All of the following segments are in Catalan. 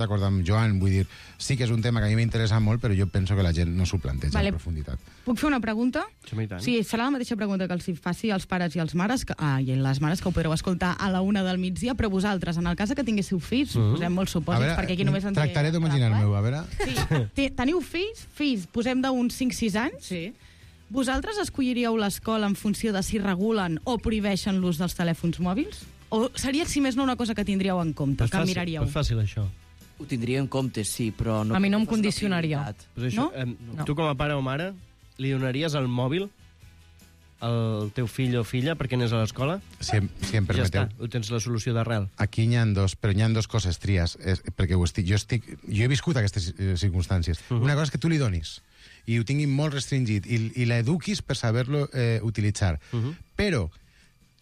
d'acord amb Joan, vull dir, sí que és un tema que a mi m'interessa molt, però jo penso que la gent no s'ho planteja en profunditat. Puc fer una pregunta? Sí, serà la mateixa pregunta que els faci als pares i als mares, i les mares, que ho podreu escoltar a la 1 del migdia, però vosaltres, en el cas que tinguéssiu fills, posem molts supòsits, perquè aquí només en té... Tractaré d'imaginar-me-ho, a veure... Sí. Teniu fills, posem d'uns 5-6 anys? Sí. Vosaltres escolliríeu l'escola en funció de si regulen o prohibeixen l'ús dels telèfons mòbils? O seria, si més no, una cosa que tindríeu en compte, que miraríeu? És fàcil, això. Ho tindria en compte, sí, però... A mi no em condicionaria. Pues això, no? Tu com a pare o mare li donaries el mòbil al teu fill o filla perquè anés a l'escola? Si em permeteu. Ja està, ho tens la solució d'arrel. Aquí n'hi ha dos, però n'hi ha dos coses, Trias, perquè jo he viscut aquestes circumstàncies. Una cosa és que tu li donis i ho tingui molt restringit i l'eduquis per saber-lo utilitzar. Però,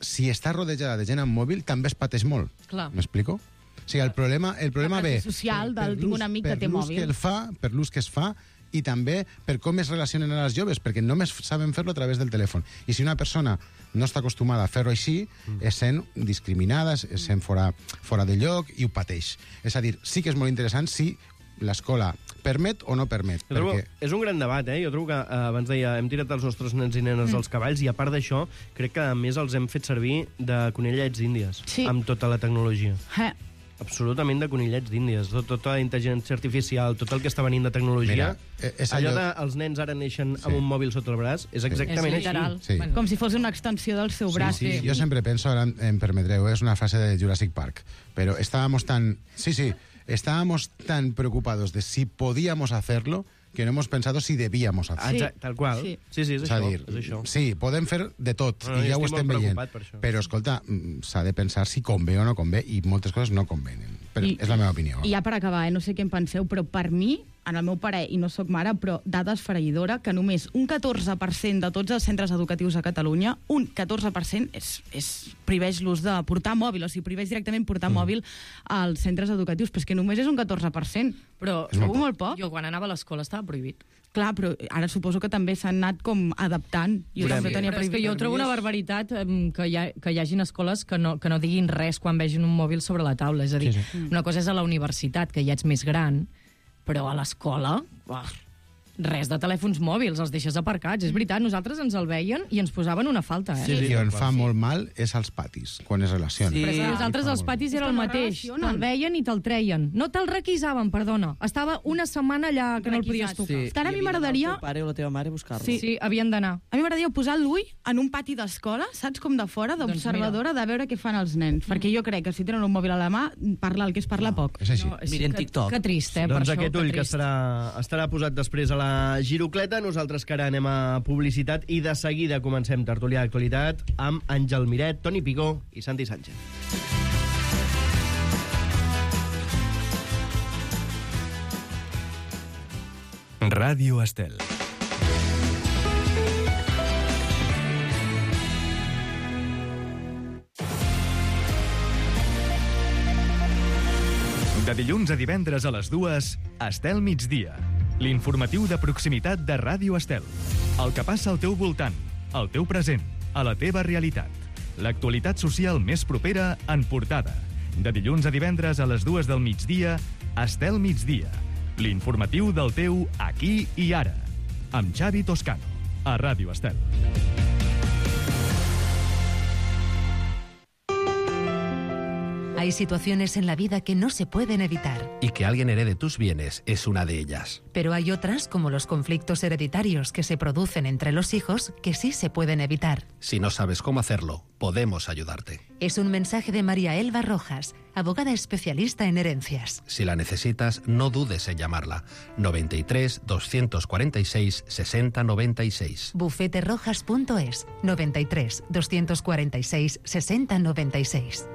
si està rodejada de gent amb mòbil, també es pateix molt. M'explico? O sigui, el problema ve social del tinc un amic que té mòbil. Per l'ús que es fa i també per com es relacionen a les joves, perquè només saben fer-lo a través del telèfon. I si una persona no està acostumada a fer-ho així, es sent discriminada, es sent fora de lloc i ho pateix. És a dir, sí que és molt interessant si l'escola permet o no permet. És un gran debat, Jo trobo que, abans deia, hem tirat els nostres nens i nenes als cavalls i, a part d'això, crec que a més els hem fet servir de conillets d'Índies, amb tota la tecnologia. Absolutament de conillets d'Índies. Tota la intel·ligència artificial, tot el que està venint de tecnologia. Allò de els nens ara neixen amb un mòbil sota el braç, és exactament així. Com si fos una extensió del seu braç. Jo sempre penso, ara em permetreu, és una frase de Jurassic Park, però estábamos tan preocupados de si podíamos hacerlo que no hemos pensado si debíamos hacerlo. Tal qual. Sí, és això. Sí, podem fer de tot, i ja ho estem veient. Però, escolta, s'ha de pensar si convé o no convé, i moltes coses no convenen. Però és la meva opinió. I ja per acabar, no sé què en penseu, però per mi, en el meu parer, i no sóc mare, però dada esfereïdora, que només un 14% de tots els centres educatius a Catalunya, un 14% prohibeix l'ús de portar mòbil, o sigui, prohibeix directament portar mòbil als centres educatius, però és que només és un 14%. Però segur molt poc. Jo quan anava a l'escola estava prohibit. Clar, però ara suposo que també s'han anat com adaptant. Jo també tenia prohibit. És que jo trobo una barbaritat que hi hagin escoles que no diguin res quan vegin un mòbil sobre la taula. És a dir, una cosa és a la universitat, que ja ets més gran, però a l'escola, res de telèfons mòbils, els deixes aparcats. És veritat, nosaltres ens el veien i ens posaven una falta. I on fa molt mal és als patis, quan es relacionen. Però nosaltres als patis era el mateix. Te'l veien i te'l treien. No te'l requisaven, perdona. Estava una setmana allà que no el podies tocar. Ara a mi m'agradaria... El pare o la teva mare buscar-lo. Sí, havien d'anar. A mi m'agradaria posar l'ull en un pati d'escola, saps, com de fora, d'observadora, de veure què fan els nens. Perquè jo crec que si tenen un mòbil a la mà, parlar el que es parla poc. És així. Miren TikTok. Que trist, per doncs això. Aquest ull que estarà posat després a la girocleta. Nosaltres que ara anem a publicitat i de seguida comencem tertúlia d'actualitat amb Àngel Miret, Toni Picó i Santi Sánchez. Ràdio Estel. De dilluns a divendres a les 2, Estel migdia. L'informatiu de proximitat de Ràdio Estel. El que passa al teu voltant, al teu present, a la teva realitat. L'actualitat social més propera en portada. De dilluns a divendres a les 2 del migdia, Estel migdia. L'informatiu del teu aquí i ara. Amb Xavi Toscano, a Ràdio Estel. Hay situaciones en la vida que no se pueden evitar. Y que alguien herede tus bienes es una de ellas. Pero hay otras, como los conflictos hereditarios que se producen entre los hijos, que sí se pueden evitar. Si no sabes cómo hacerlo, podemos ayudarte. Es un mensaje de María Elba Rojas, abogada especialista en herencias. Si la necesitas, no dudes en llamarla. 93 246 60 96. Bufeterojas.es. 93 246 60 96.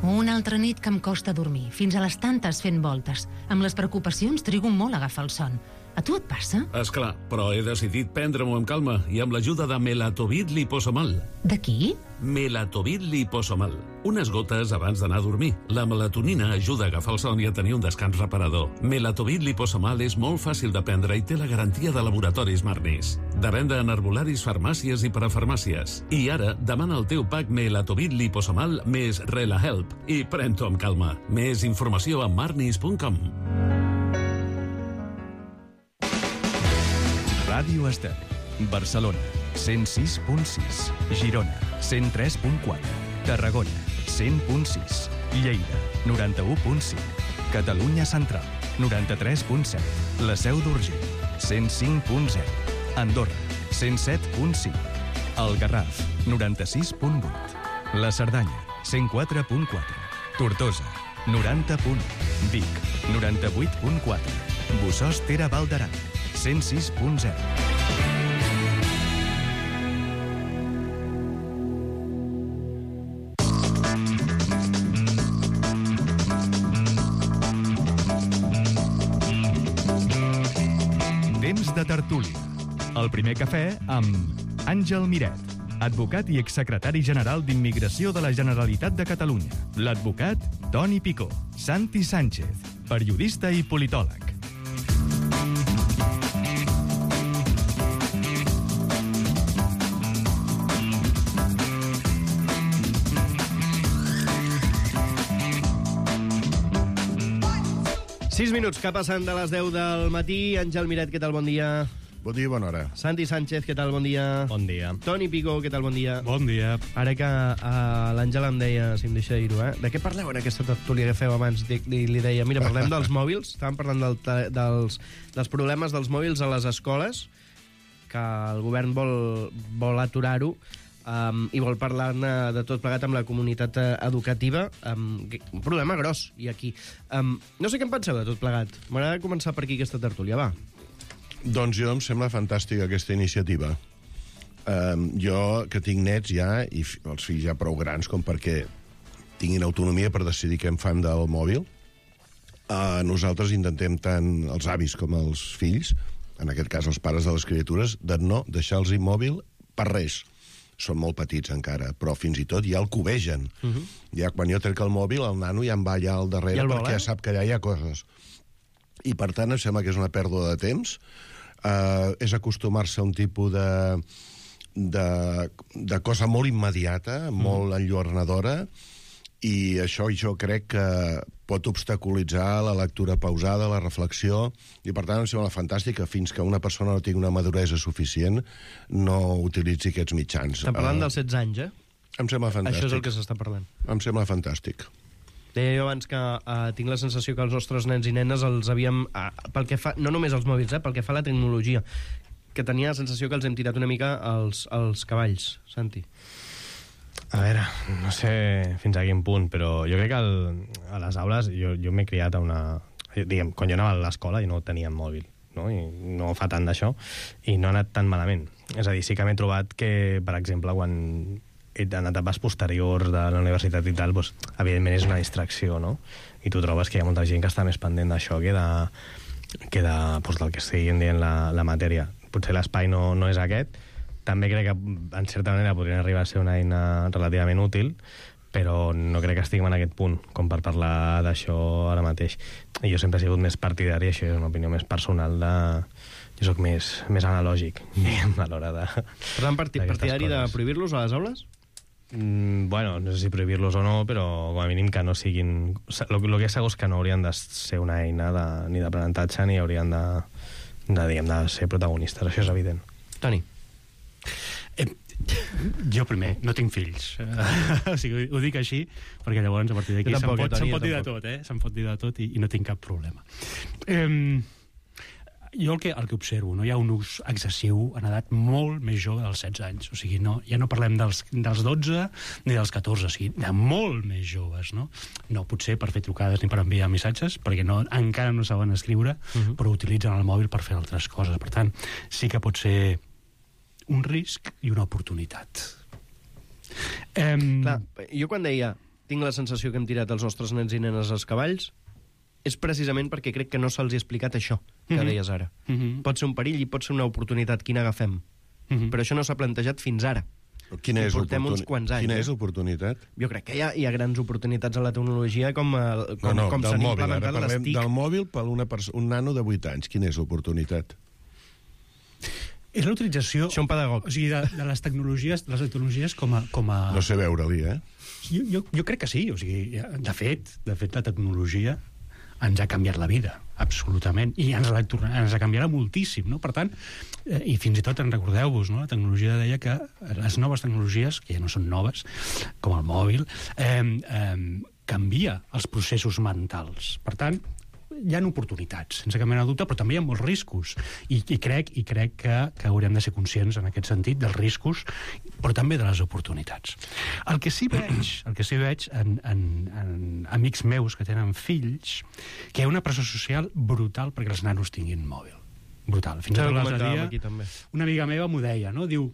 Una altra nit que em costa dormir, fins a les tantes fent voltes. Amb les preocupacions trigo molt a agafar el son. A tu et passa? Esclar, però he decidit prendre-m'ho amb calma i amb l'ajuda de Melatovit Liposomal. De qui? Melatovit liposomal. Unes gotes abans d'anar a dormir. La melatonina ajuda a agafar el son i a tenir un descans reparador. Melatovit liposomal és molt fàcil de prendre i té la garantia de Laboratoris Marnis. De venda en herbolaris, farmàcies i parafarmàcies. I ara, demana el teu pack Melatovit liposomal més RelaHelp i pren-t'ho amb calma. Més informació a marnis.com. Ràdio Estel. Barcelona, 106.6. Girona, 103.4. Tarragona, 100.6. Lleida, 91.5. Catalunya Central, 93.7. La Seu d'Urgell, 105.0. Andorra, 107.5. El Garraf, 96.8. La Cerdanya, 104.4. Tortosa, 90.1. Vic, 98.4. Bossòst Tere Val d'Aran, 106.0. Temps de tertúlia. El primer cafè amb Àngel Miret, advocat i exsecretari general d'Immigració de la Generalitat de Catalunya. L'advocat Toni Picó. Santi Sánchez, periodista i politòleg. Minuts que passen de les 10 del matí. Àngel Miret, què tal? Bon dia. Bon dia i bona hora. Santi Sánchez, què tal? Bon dia. Bon dia. Toni Picó, què tal? Bon dia. Bon dia. Ara que l'Àngel em deia, si em deixa dir-ho, de què parleu en aquesta tertúlia que feu abans? Li deia, mira, parlem dels mòbils. Estàvem parlant dels problemes dels mòbils a les escoles, que el govern vol aturar-ho, i vol parlar-ne de tot plegat amb la comunitat educativa. Un problema gros, i aquí. No sé què en penseu de tot plegat. M'agrada començar per aquí aquesta tertúlia, va. Doncs jo em sembla fantàstica aquesta iniciativa. Jo, que tinc nets ja, i els fills ja prou grans com perquè tinguin autonomia per decidir què en fan del mòbil, nosaltres intentem tant els avis com els fills, en aquest cas els pares de les criatures, de no deixar-los immòbil per res. Són molt petits encara, però fins i tot ja el covegen. Ja quan jo trec el mòbil, el nano ja em va allà al darrere perquè ja sap que allà hi ha coses. I per tant em sembla que és una pèrdua de temps. És acostumar-se a un tipus de cosa molt immediata, molt enlluernadora, i això jo crec que pot obstaculitzar la lectura pausada, la reflexió, i per tant em sembla fantàstic que fins que una persona no tingui una maduresa suficient no utilitzi aquests mitjans. Estem parlant dels 16 anys, Em sembla fantàstic. Això és el que s'està parlant. Em sembla fantàstic. Deia jo abans que tinc la sensació que els nostres nens i nenes els havíem, pel que fa, no només els mòbils, pel que fa a la tecnologia, que tenia la sensació que els hem tirat una mica als cavalls, Santi. A veure, no sé fins a quin punt, però jo crec que a les aules jo m'he criat a una... Diguem, quan jo anava a l'escola i no teníem mòbil, no? I no fa tant d'això, i no ha anat tan malament. És a dir, sí que m'he trobat que, per exemple, quan en etapes posteriors de la universitat i tal, doncs, evidentment és una distracció, no? I tu trobes que hi ha molta gent que està més pendent d'això que doncs, del que estiguin dient la matèria. Potser l'espai no és aquest. També crec que, en certa manera, podrien arribar a ser una eina relativament útil, però no crec que estiguem en aquest punt com per parlar d'això ara mateix. I jo sempre he sigut més partidari, això és una opinió més personal, jo soc més analògic, diguem, a l'hora de... Per tant, partidari de prohibir-los a les aules? Bueno, no sé si prohibir-los o no, però com a mínim que no siguin... El que és segur és que no haurien de ser una eina ni d'aprenentatge ni haurien de ser protagonistes, això és evident. Toni. Jo primer, no tinc fills. O sigui, ho dic així, perquè llavors a partir d'aquí se'm pot dir de tot, se'm pot dir de tot i no tinc cap problema. Jo el que observo, no hi ha un ús excessiu en edat molt més jove dels 16 anys. O sigui, ja no parlem dels 12 ni dels 14, o sigui, de molt més joves, no? No potser per fer trucades ni per enviar missatges, perquè encara no saben escriure, però utilitzen el mòbil per fer altres coses. Per tant, sí que pot ser un risc i una oportunitat. Clar, jo quan deia tinc la sensació que hem tirat els nostres nens i nenes als cavalls, és precisament perquè crec que no se'ls ha explicat això que deies ara. Pot ser un perill i pot ser una oportunitat, quina agafem. Però això no s'ha plantejat fins ara. Quina és portem uns quants anys. Quina és l'oportunitat? Jo crec que hi ha grans oportunitats a la tecnologia com s'han implementat les TIC. Del mòbil per un nano de 8 anys. Quina és l'oportunitat? És la utilització... Això un pedagog. O sigui, de les tecnologies com a... No sé veure-li, Jo crec que sí. O sigui, de fet, la tecnologia ens ha canviat la vida, absolutament, i ens canviarà moltíssim, no? Per tant, i fins i tot en recordeu-vos, no? La tecnologia deia que les noves tecnologies, que ja no són noves, com el mòbil, canvia els processos mentals. Per tant, hi ha oportunitats, sense cap mena de dubte, però també hi ha molts riscos. I crec que haurem de ser conscients en aquest sentit dels riscos, però també de les oportunitats. El que sí veig en amics meus que tenen fills, que hi ha una pressió social brutal perquè els nanos tinguin mòbil. Brutal. Fins i tot l'altre dia, una amiga meva m'ho deia, no? Diu,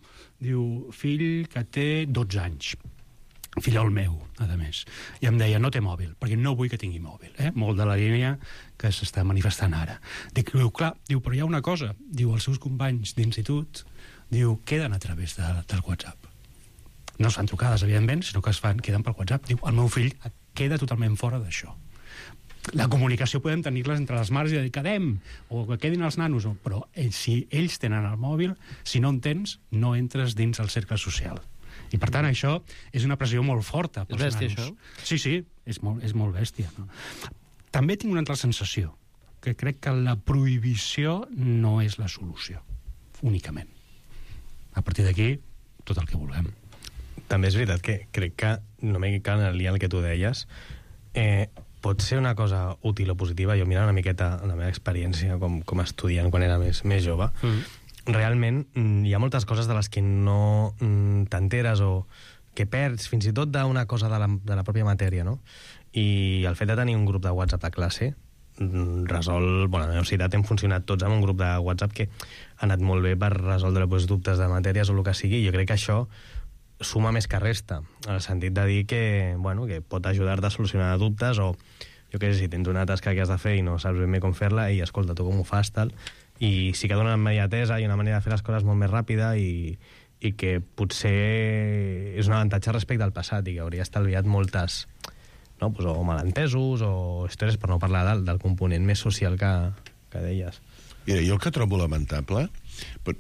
fill que té 12 anys, fillol meu, a més, i em deia, no té mòbil, perquè no vull que tingui mòbil, molt de la línia que s'està manifestant ara. Diu, clar, però hi ha una cosa, els seus companys d'institut, queden a través del WhatsApp. No es fan trucades, evidentment, sinó que queden pel WhatsApp. Diu, el meu fill queda totalment fora d'això. La comunicació podem tenir-les entre les mares i dir, quedem, o que quedin els nanos, però si ells tenen el mòbil, si no en tens, no entres dins el cercle social. I, per tant, això és una pressió molt forta pels nanos. És bèstia, això? Sí, és molt bèstia. No? També tinc una altra sensació, que crec que la prohibició no és la solució, únicament. A partir d'aquí, tot el que vulguem. També és veritat que crec que, no m'he quedat en el dia en el que tu deies, pot ser una cosa útil o positiva. Jo mirant una miqueta la meva experiència com a estudiant quan era més jove, realment hi ha moltes coses de les que no t'enteres o que perds fins i tot d'una cosa de la pròpia matèria, no? I el fet de tenir un grup de WhatsApp de classe resol... Bueno, a la universitat hem funcionat tots amb un grup de WhatsApp que ha anat molt bé per resoldre dubtes de matèries o el que sigui. Jo crec que això suma més que resta, en el sentit de dir que pot ajudar-te a solucionar dubtes o, jo què sé, si tens una tasca que has de fer i no saps ben bé com fer-la, i escolta, tu com ho fas, tal... I sí que dona una immediatesa i una manera de fer les coses molt més ràpida i que potser és un avantatge respecte al passat i que hauria estalviat moltes o malentesos o històries, per no parlar del component més social que deies. Mira, jo el que trobo lamentable,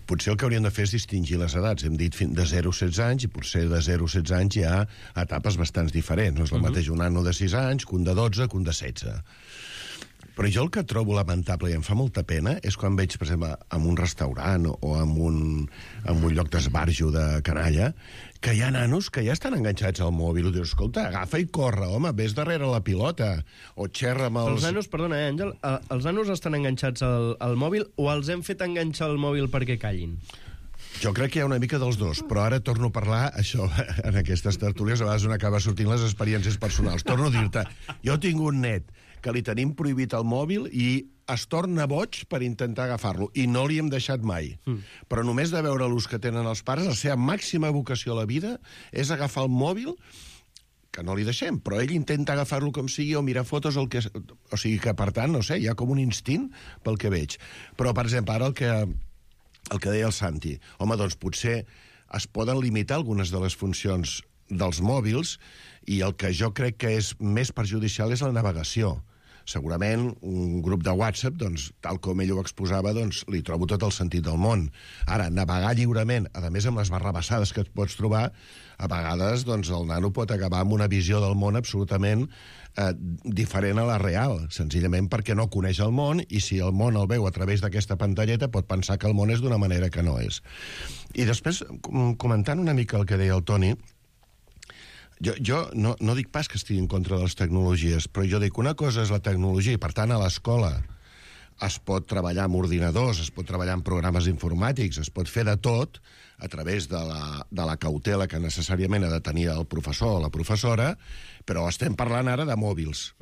potser el que hauríem de fer és distingir les edats. Hem dit de 0 a 16 anys, i potser de 0 a 16 anys hi ha etapes bastants diferents. No és el mateix un nano de 6 anys que un de 12, que un de 16. Però jo el que trobo lamentable i em fa molta pena és quan veig, per exemple, en un restaurant o en un lloc d'esbarjo de canalla, que hi ha nanos que ja estan enganxats al mòbil. Dius, escolta, agafa i corre, home, vés darrere la pilota, o xerra amb els... Els nanos, perdona, Àngel, els nanos estan enganxats al mòbil o els hem fet enganxar el mòbil perquè callin? Jo crec que hi ha una mica dels dos, però ara torno a parlar, això, en aquestes tertúlies, a vegades on acaba sortint les experiències personals. Torno a dir-te, jo tinc un net que li tenim prohibit el mòbil i es torna boig per intentar agafar-lo, i no li hem deixat mai. Però només de veure l'ús que tenen els pares, la seva màxima vocació a la vida és agafar el mòbil, que no li deixem, però ell intenta agafar-lo com sigui o mirar fotos, o sigui que, per tant, no sé, hi ha com un instint pel que veig. Però, per exemple, ara el que deia el Santi, home, doncs potser es poden limitar algunes de les funcions dels mòbils, i el que jo crec que és més perjudicial és la navegació. Segurament un grup de WhatsApp, doncs, tal com ell ho exposava, doncs, li trobo tot el sentit del món. Ara, navegar lliurement, a més amb les barrabassades que et pots trobar, a vegades doncs, el nano pot acabar amb una visió del món absolutament diferent a la real, senzillament perquè no coneix el món, i si el món el veu a través d'aquesta pantalleta pot pensar que el món és d'una manera que no és. I després, comentant una mica el que deia el Toni, jo no dic pas que estigui en contra de les tecnologies, però jo dic una cosa és la tecnologia, i per tant a l'escola es pot treballar amb ordinadors, es pot treballar amb programes informàtics, es pot fer de tot a través de la cautela que necessàriament ha de tenir el professor o la professora, però estem parlant ara de mòbils,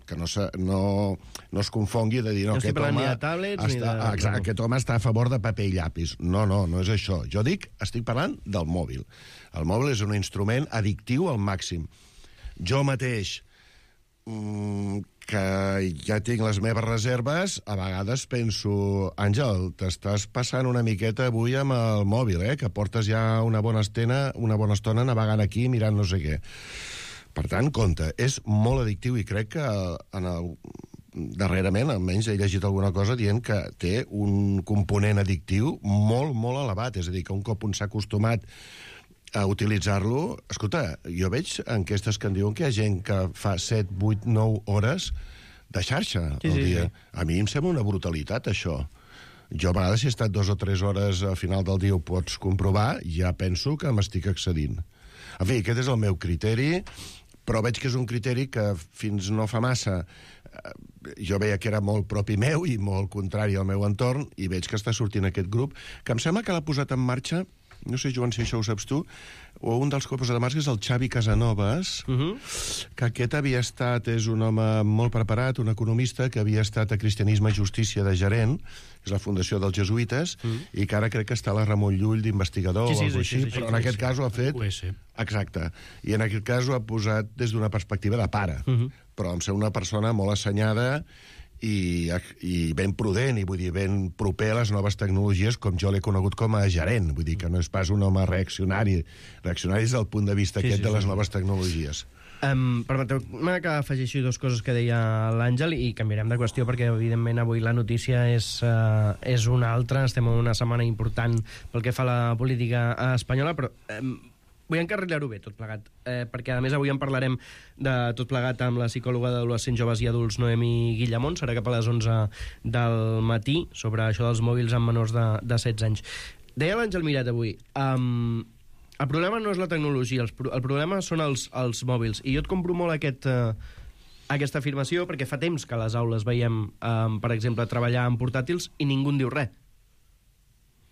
que no es confongui de dir no estic parlant ni de tablets aquest home està a favor de paper i llapis. No és això. Jo estic parlant del mòbil. El mòbil és un instrument addictiu al màxim. Jo mateix que ja tinc les meves reserves, a vegades penso, Àngel, t'estàs passant una miqueta avui amb el mòbil, que portes ja una bona estona navegant aquí mirant no sé què. Per tant, compte, és molt addictiu i crec que darrerament, almenys he llegit alguna cosa dient que té un component addictiu molt, molt elevat. És a dir, que un cop un s'ha acostumat a utilitzar-lo... Escolta, jo veig enquestes que en diuen que hi ha gent que fa 7, 8, 9 hores de xarxa al dia. A mi em sembla una brutalitat, això. Jo, a vegades, si he estat 2 o 3 hores al final del dia, ho pots comprovar, ja penso que m'estic excedint. En fi, aquest és el meu criteri, però veig que és un criteri que fins no fa massa jo veia que era molt propi meu i molt contrari al meu entorn, i veig que està sortint aquest grup, que em sembla que l'ha posat en marxa, no sé, Joan, si això ho saps tu, o un dels que ho ha posat en marxa és el Xavi Casanovas, que aquest havia estat, és un home molt preparat, un economista, que havia estat a Cristianisme i Justícia de gerent, és la fundació dels jesuïtes, i que ara crec que està a la Ramon Llull d'investigador o alguna cosa així, però en aquest cas ho ha fet... Exacte. I en aquest cas ho ha posat des d'una perspectiva de pare, però em sembla una persona molt assenyada i ben prudent, i vull dir, ben proper a les noves tecnologies, com jo l'he conegut com a gerent. Vull dir que no és pas un home reaccionari. Reaccionari des del punt de vista de les noves tecnologies. Permeteu-me que afegeixi 2 coses que deia l'Àngel i canviarem de qüestió perquè, evidentment, avui la notícia és una altra. Estem en una setmana important pel que fa a la política espanyola, però... vull encarrilar-ho bé, tot plegat, perquè, a més, avui en parlarem de tot plegat amb la psicòloga d'adolescents, joves i adults, Noemi Guillamont. Serà cap a les 11 del matí, sobre això dels mòbils amb menors de 16 anys. Deia l'Àngel Miret avui, el problema no és la tecnologia, el problema són els mòbils. I jo et compro molt aquesta afirmació, perquè fa temps que a les aules veiem, per exemple, treballar amb portàtils i ningú en diu res.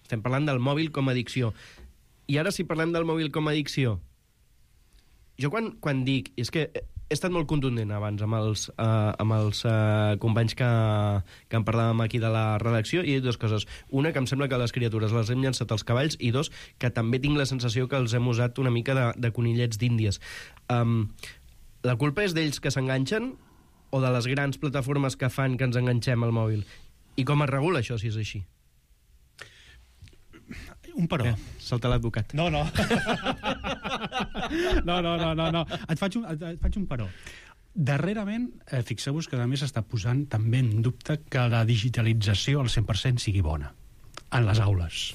Estem parlant del mòbil com a addicció. I ara, si parlem del mòbil com a addicció, jo quan dic... És que he estat molt contundent abans amb els companys que en parlàvem aquí de la redacció, i he dit 2 coses. Una, que em sembla que les criatures les hem llançat als cavalls, i 2, que també tinc la sensació que els hem usat una mica de conillets d'Índies. La culpa és d'ells que s'enganxen o de les grans plataformes que fan que ens enganxem al mòbil? I com es regula això, si és així? Un però. Salta l'advocat. No. No. Et faig un però. Darrerament, fixeu-vos que a més està posant també en dubte que la digitalització al 100% sigui bona en les aules.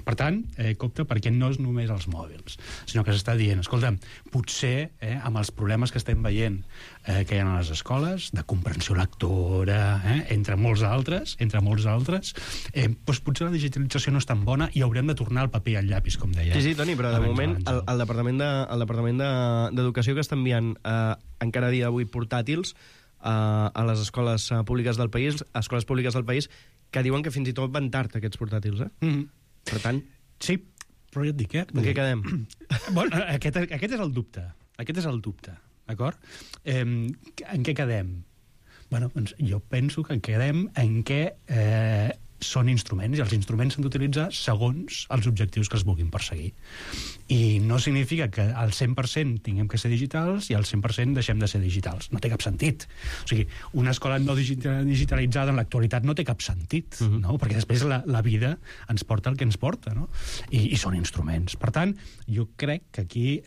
Per tant, compte, perquè no és només els mòbils, sinó que s'està dient, escolta, potser amb els problemes que estem veient que hi ha a les escoles, de comprensió lectora, entre molts altres, doncs potser la digitalització no és tan bona i haurem de tornar al paper i al llapis, com deia. Sí, Toni, però de moment el Departament d'Educació, que està enviant encara a dia d'avui portàtils a les escoles públiques del país, que diuen que fins i tot van tard, aquests portàtils, Per tant... Sí, però ja et dic, En què quedem? Bueno, aquest és el dubte. D'acord? En què quedem? Bueno, doncs jo penso que quedem en què són instruments, i els instruments s'han d'utilitzar segons els objectius que es vulguin perseguir. I no significa que al 100% tinguem que ser digitals i al 100% deixem de ser digitals. No té cap sentit. O sigui, una escola no digitalitzada en l'actualitat no té cap sentit, no? Perquè després la vida ens porta el que ens porta, no? I són instruments. Per tant, jo crec que aquí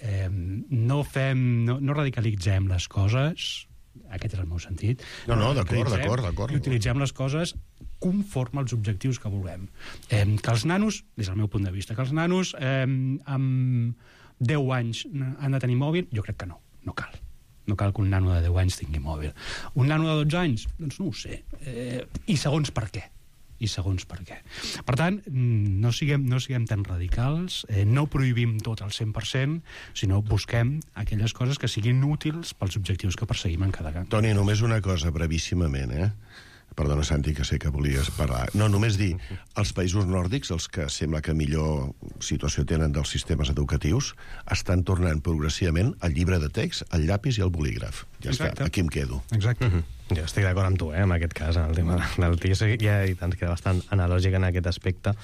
no radicalitzem les coses, aquest és el meu sentit. No, d'acord. I utilitzem les coses conforme als objectius que vulguem. Que els nanos, des del meu punt de vista, que els nanos amb 10 anys han de tenir mòbil, jo crec que no cal. No cal que un nano de 10 anys tingui mòbil. Un nano de 12 anys? Doncs no ho sé. I segons per què. Per tant, no siguem tan radicals, no prohibim tot al 100%, sinó busquem aquelles coses que siguin útils pels objectius que perseguim en cada camp. Toni, només una cosa, brevíssimament, Perdona, Santi, que sé que volies parlar. No, només dir, els països nòrdics, els que sembla que millor situació tenen dels sistemes educatius, estan tornant progressivament al llibre de text, al llapis i al bolígraf. Ja està, aquí em quedo. Exacte. Jo estic d'acord amb tu, en aquest cas, en el tema del TIC, ja ens queda bastant analògic en aquest aspecte.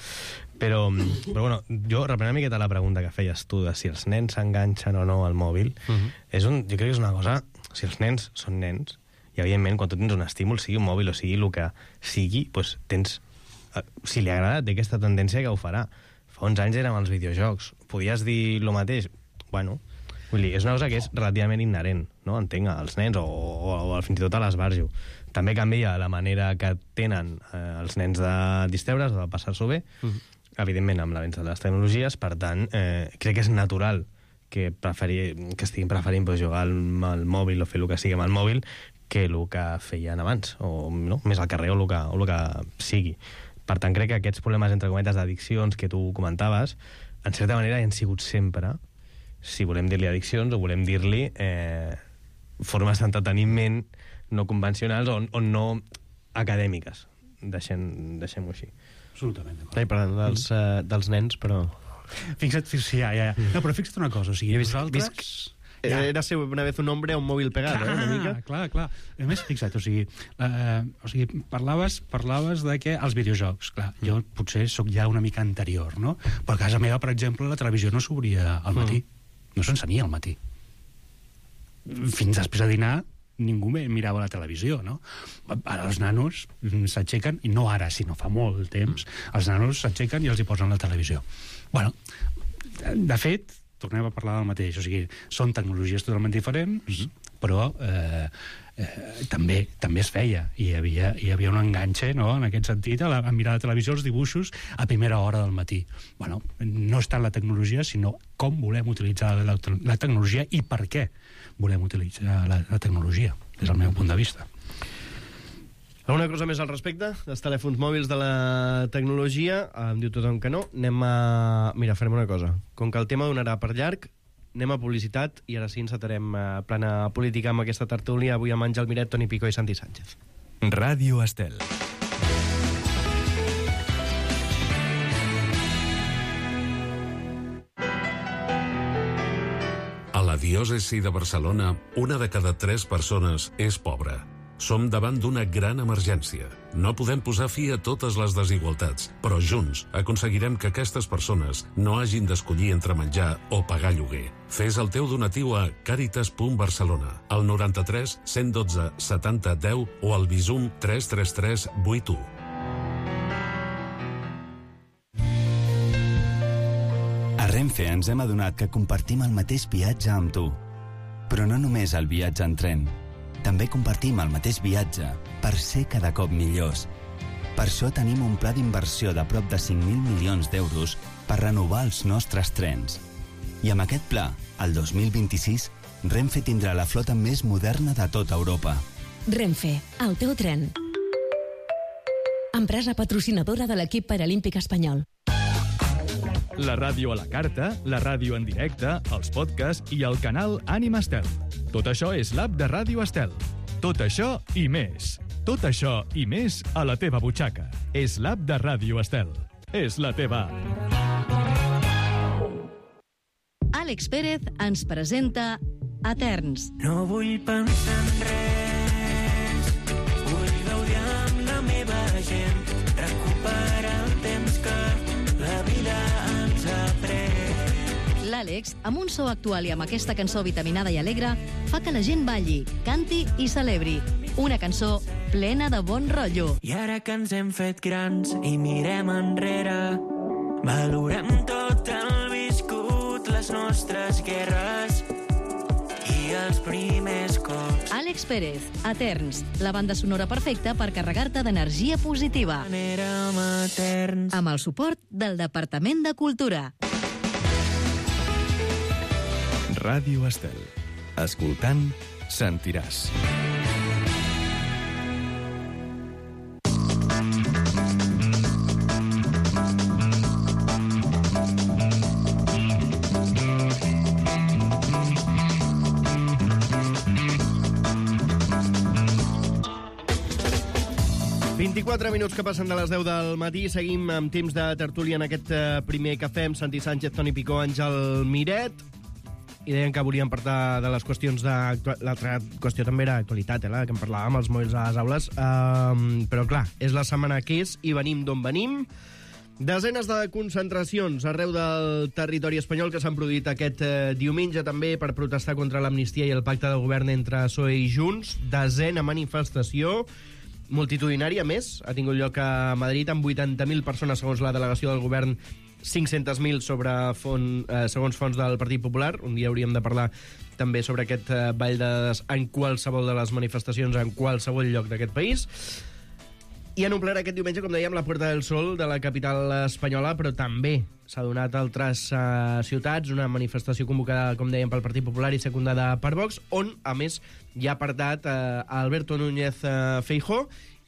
Però bueno, jo reprenent una miqueta la pregunta que feies tu de si els nens s'enganxen o no al mòbil, jo crec que és una cosa, si els nens són nens, I, evidentment, quan tu tens un estímul, sigui un mòbil o sigui el que sigui, doncs tens... Si li agrada, té aquesta tendència que ho farà. Fa uns anys érem els videojocs. Podies dir el mateix? Bueno, vull dir, és una cosa que és relativament inherent, no? Entenc, als nens o fins i tot a l'esbarjo. També canvia la manera que tenen els nens de distreure's o de passar-s'ho bé, evidentment amb l'avenç de les tecnologies, per tant, crec que és natural que estiguin preferint jugar al mòbil o fer el que sigui amb el mòbil que el que feien abans, o no? Més al carrer o el que sigui. Per tant, crec que aquests problemes, entre cometes, d'addiccions que tu comentaves, en certa manera hi han sigut sempre, si volem dir-li addiccions o volem dir-li formes d'entreteniment no convencionals o no acadèmiques. Deixem-ho així. Absolutament. Parlant dels nens, però... Fixa't, ja. No, però fixa't una cosa, o sigui, nosaltres... Era ser una vez un hombre a un mòbil pegat, una mica. Clar. A més, fixa't, o sigui, parlaves de que els videojocs, clar, jo potser sóc ja una mica anterior, no? Però a casa meva, per exemple, la televisió no s'obria al matí. No s'encenia al matí. Fins després de dinar, ningú mirava la televisió, no? Ara els nanos s'aixequen, i no ara, sinó fa molt temps, els nanos s'aixequen i els hi posen la televisió. Bueno, de fet, tornem a parlar del mateix, o sigui, són tecnologies totalment diferents, però també es feia, i hi havia un enganxe, no?, en aquest sentit, a mirar la televisió, els dibuixos, a primera hora del matí. Bueno, no és tant la tecnologia, sinó com volem utilitzar la tecnologia i per què volem utilitzar la tecnologia, des del meu punt de vista. Alguna cosa més al respecte dels telèfons mòbils, de la tecnologia? Em diu tothom que no. Mira, farem una cosa. Com que el tema donarà per llarg, anem a publicitat i ara sí encetarem plana política amb aquesta tertúlia avui amb Àngel Miret, Toni Picó i Santi Sánchez. Ràdio Estel. A la diòcesi de Barcelona, 1 de cada 3 persones és pobra. Som davant d'una gran emergència. No podem posar fi a totes les desigualtats, però junts aconseguirem que aquestes persones no hagin d'escollir entre menjar o pagar lloguer. Fes el teu donatiu a Càritas.Barcelona, al 93 112 70 10 o al Bizum 333 81. A Renfe ens hem adonat que compartim el mateix viatge amb tu. Però no només el viatge en tren. També compartim el mateix viatge per ser cada cop millors. Per això tenim un pla d'inversió de prop de 5.000 milions d'euros per renovar els nostres trens. I amb aquest pla, el 2026, Renfe tindrà la flota més moderna de tota Europa. Renfe, el teu tren. Empresa patrocinadora de l'equip paralímpic espanyol. La ràdio a la carta, la ràdio en directe, els podcasts i el canal Ànima Estel. Tot això és l'app de Ràdio Estel. Tot això i més. Tot això i més a la teva butxaca. És l'app de Ràdio Estel. És la teva app. Àlex Pérez ens presenta Eterns. No vull pensar en res, vull gaudir amb la meva gent, recuperar el temps que la vida ens ha pres. L'Àlex, amb un so actual i amb aquesta cançó vitaminada i alegre, fa que la gent balli, canti i celebri. Una cançó plena de bon rotllo. I ara que ens hem fet grans i mirem enrere, valorem tot el viscut, les nostres guerres i els primers cops. Àlex Pérez, Eterns, la banda sonora perfecta per carregar-te d'energia positiva. Érem eterns. Amb el suport del Departament de Cultura. Ràdio Estel. Escoltant, sentiràs. Minuts que passen de les 10 del matí. Seguim amb temps de tertúlia en aquest primer cafè amb Santi Sánchez, Toni Picó, Àngel Miret. I deien que volíem parlar de les qüestions l'altra qüestió també era actualitat, la que en parlàvem, els mòbils a les aules. Però clar, és la setmana que és i venim d'on venim. Desenes de concentracions arreu del territori espanyol que s'han produït aquest diumenge també per protestar contra l'amnistia i el pacte de govern entre PSOE i Junts. Desena manifestació multitudinària més ha tingut lloc a Madrid amb 80.000 persones segons la delegació del govern, 500.000 segons fons del Partit Popular. Un dia hauríem de parlar també sobre aquest ball de dades en qualsevol de les manifestacions en qualsevol lloc d'aquest país. I han omplert aquest diumenge, com dèiem, la Puerta del Sol de la capital espanyola, però també s'ha donat a altres ciutats una manifestació convocada, com dèiem, pel Partit Popular i secundada per Vox, on, a més, hi ha parlat Alberto Núñez Feijóo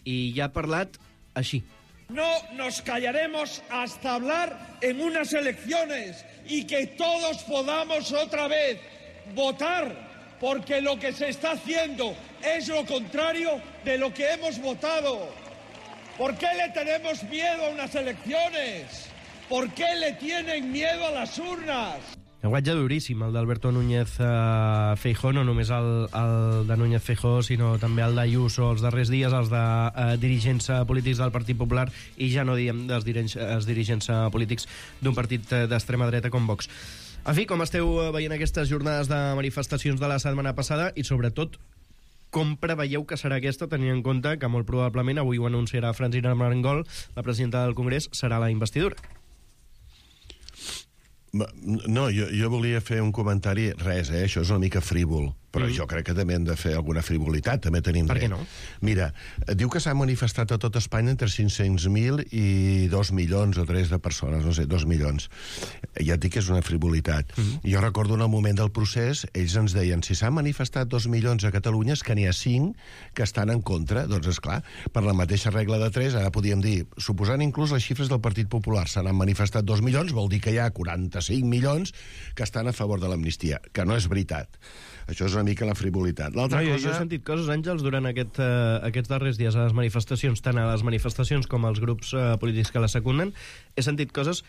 i hi ha parlat així. No nos callaremos hasta hablar en unas elecciones y que todos podamos otra vez votar, porque lo que se está haciendo es lo contrario de lo que hemos votado. ¿Por qué le tenemos miedo a unas elecciones? ¿Por qué le tienen miedo a las urnas? Llenguatge duríssim, el d'Alberto Núñez Feijóo, no només el de Núñez Feijóo, sinó també el d'Ayuso els darrers dies, els de dirigents polítics del Partit Popular, i ja no diem dels dirigents polítics d'un partit d'extrema dreta com Vox. En fi, com esteu veient aquestes jornades de manifestacions de la setmana passada i, sobretot, com preveieu que serà aquesta, tenint en compte que molt probablement, avui ho anunciarà Francina Armengol, la presidenta del Congrés, serà la investidura? No, jo volia fer un comentari, res, això és una mica frívol, però jo crec que també hem de fer alguna frivolitat, també tenim dret. Per què no? Mira, diu que s'ha manifestat a tot Espanya entre 500.000 i 2 milions o 3 de persones, no sé, 2 milions. Ja et dic que és una frivolitat. Jo recordo en el moment del procés, ells ens deien, si s'han manifestat 2 milions a Catalunya és que n'hi ha 5 que estan en contra. Doncs, esclar, per la mateixa regla de 3, ara podíem dir, suposant inclús les xifres del Partit Popular, se n'han manifestat 2 milions, vol dir que hi ha 45 milions que estan a favor de l'amnistia, que no és veritat. Això és una mica la frivolitat. L'altra cosa... Jo he sentit coses, Àngels, durant aquests darrers dies a les manifestacions, tant a les manifestacions com als grups polítics que les secunden, he sentit coses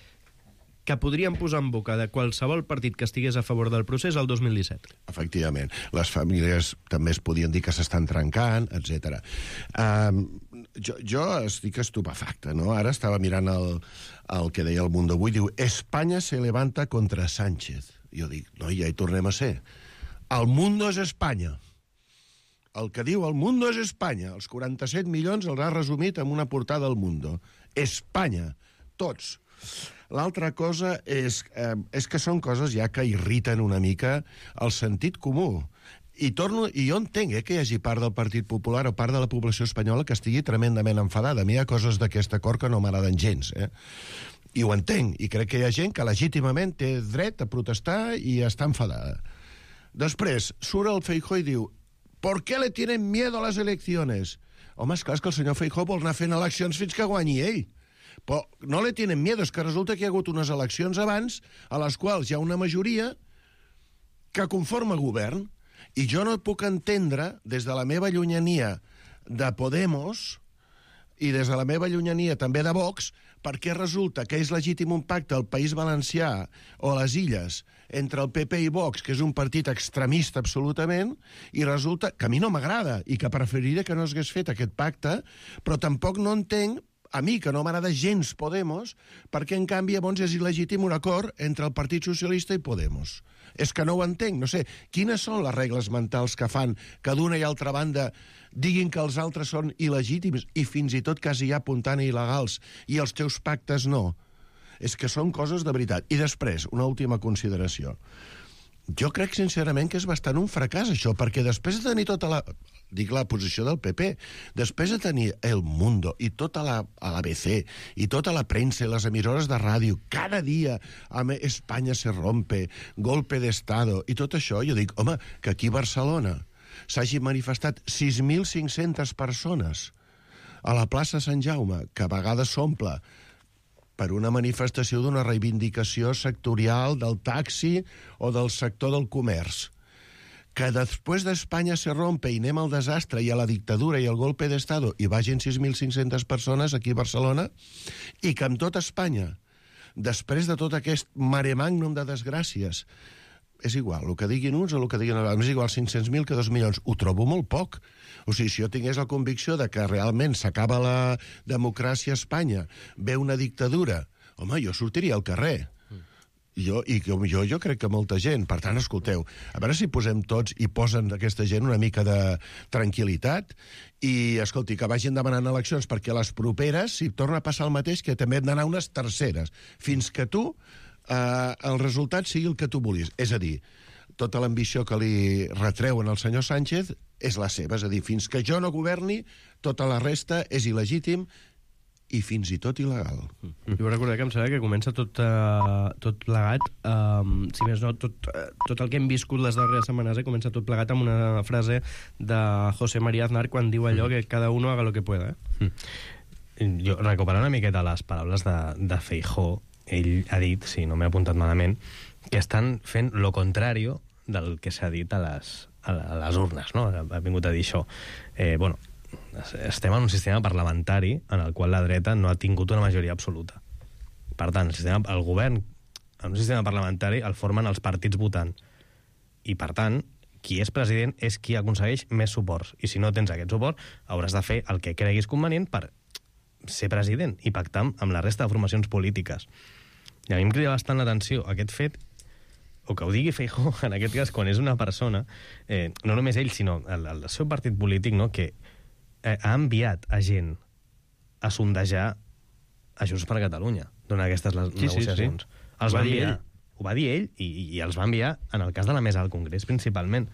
que podrien posar en boca de qualsevol partit que estigués a favor del procés el 2017. Efectivament. Les famílies també es podien dir que s'estan trencant, etc. Jo estic estupefacte, no? Ara estava mirant el que deia El Mundo avui, diu, Espanya se levanta contra Sánchez. Jo dic, no, ja hi tornem a ser. El mundo és Espanya. El que diu el mundo és Espanya. Els 47 milions els ha resumit en una portada al Mundo. Espanya. Tots. L'altra cosa és que són coses ja que irriten una mica el sentit comú. I jo entenc que hi hagi part del Partit Popular o part de la població espanyola que estigui tremendament enfadada. A mi hi ha coses d'aquest acord que no m'agraden gens, I ho entenc. I crec que hi ha gent que legítimament té dret a protestar i està enfadada. Després, surt el Feijóo i diu ¿por qué le tienen miedo a las elecciones? Home, esclar, és que el senyor Feijóo vol anar fent eleccions fins que guanyi ell. Però no le tienen miedo, és que resulta que hi ha hagut unes eleccions abans a les quals hi ha una majoria que conforma govern. I jo no puc entendre, des de la meva llunyania de Podemos i des de la meva llunyania també de Vox, perquè resulta que és legítim un pacte al País Valencià o a les Illes entre el PP i Vox, que és un partit extremista absolutament, i resulta que a mi no m'agrada i que preferiria que no s'hagués fet aquest pacte, però tampoc no entenc, a mi, que no m'agrada gens Podemos, perquè en canvi llavors és il·legítim un acord entre el Partit Socialista i Podemos. És que no ho entenc, no sé. Quines són les regles mentals que fan que d'una i altra banda diguin que els altres són il·legítims i fins i tot quasi ja apuntant a il·legals i els teus pactes no? És que són coses de veritat. I després, una última consideració. Jo crec sincerament que és bastant un fracàs això, perquè després de tenir tota la posició del PP, després de tenir El Mundo i tota l'ABC i tota la premsa i les emissores de ràdio, cada dia Espanya se rompe, golpe d'Estado i tot això, jo dic, home, que aquí a Barcelona s'hagi manifestat 6.500 persones a la plaça Sant Jaume, que a vegades s'omple per una manifestació d'una reivindicació sectorial del taxi o del sector del comerç. Que després d'Espanya se rompe i anem al desastre i a la dictadura i al golpe d'Estado i vagin 6.500 persones aquí a Barcelona i que amb tot Espanya, després de tot aquest mare magnum de desgràcies, és igual, el que diguin uns o el que diguin els altres. És igual 500.000 que 2 milions. Ho trobo molt poc. O sigui, si jo tingués la convicció de que realment s'acaba la democràcia a Espanya, ve una dictadura, home, jo sortiria al carrer. Jo crec que molta gent. Per tant, escolteu, a veure si posem tots i posen aquesta gent una mica de tranquil·litat i, escolti, que vagin demanant eleccions, perquè a les properes, si torna a passar el mateix, que també hem d'anar unes terceres, fins que tu, el resultat sigui el que tu vulguis. És a dir, tota l'ambició que li retreuen al senyor Sánchez és la seva. És a dir, fins que jo no governi, tota la resta és il·legítim i fins i tot il·legal. Jo recordar que em sembla que comença tot plegat, si més no, tot el que hem viscut les darreres setmanes comença tot plegat amb una frase de José María Aznar quan diu allò que cada uno haga lo que pueda. Jo, recuperant una miqueta les paraules de Feijóo, ell ha dit, si no m'he apuntat malament, que estan fent lo contrario del que s'ha dit a les urnes, no? Ha vingut a dir això. Bueno, estem en un sistema parlamentari en el qual la dreta no ha tingut una majoria absoluta. Per tant, el govern en un sistema parlamentari el formen els partits votant. I, per tant, qui és president és qui aconsegueix més suports. I si no tens aquest suport, hauràs de fer el que creguis convenient per ser president i pactar amb la resta de formacions polítiques. I a mi em crida bastant l'atenció aquest fet, o que ho digui Feijóo, en aquest cas, quan és una persona, no només ell, sinó el seu partit polític, no?, que ha enviat a gent a sondejar a Junts per Catalunya durant aquestes negociacions. Sí. Els va dir ell. Ho va dir ell i els va enviar en el cas de la mesa del Congrés, principalment.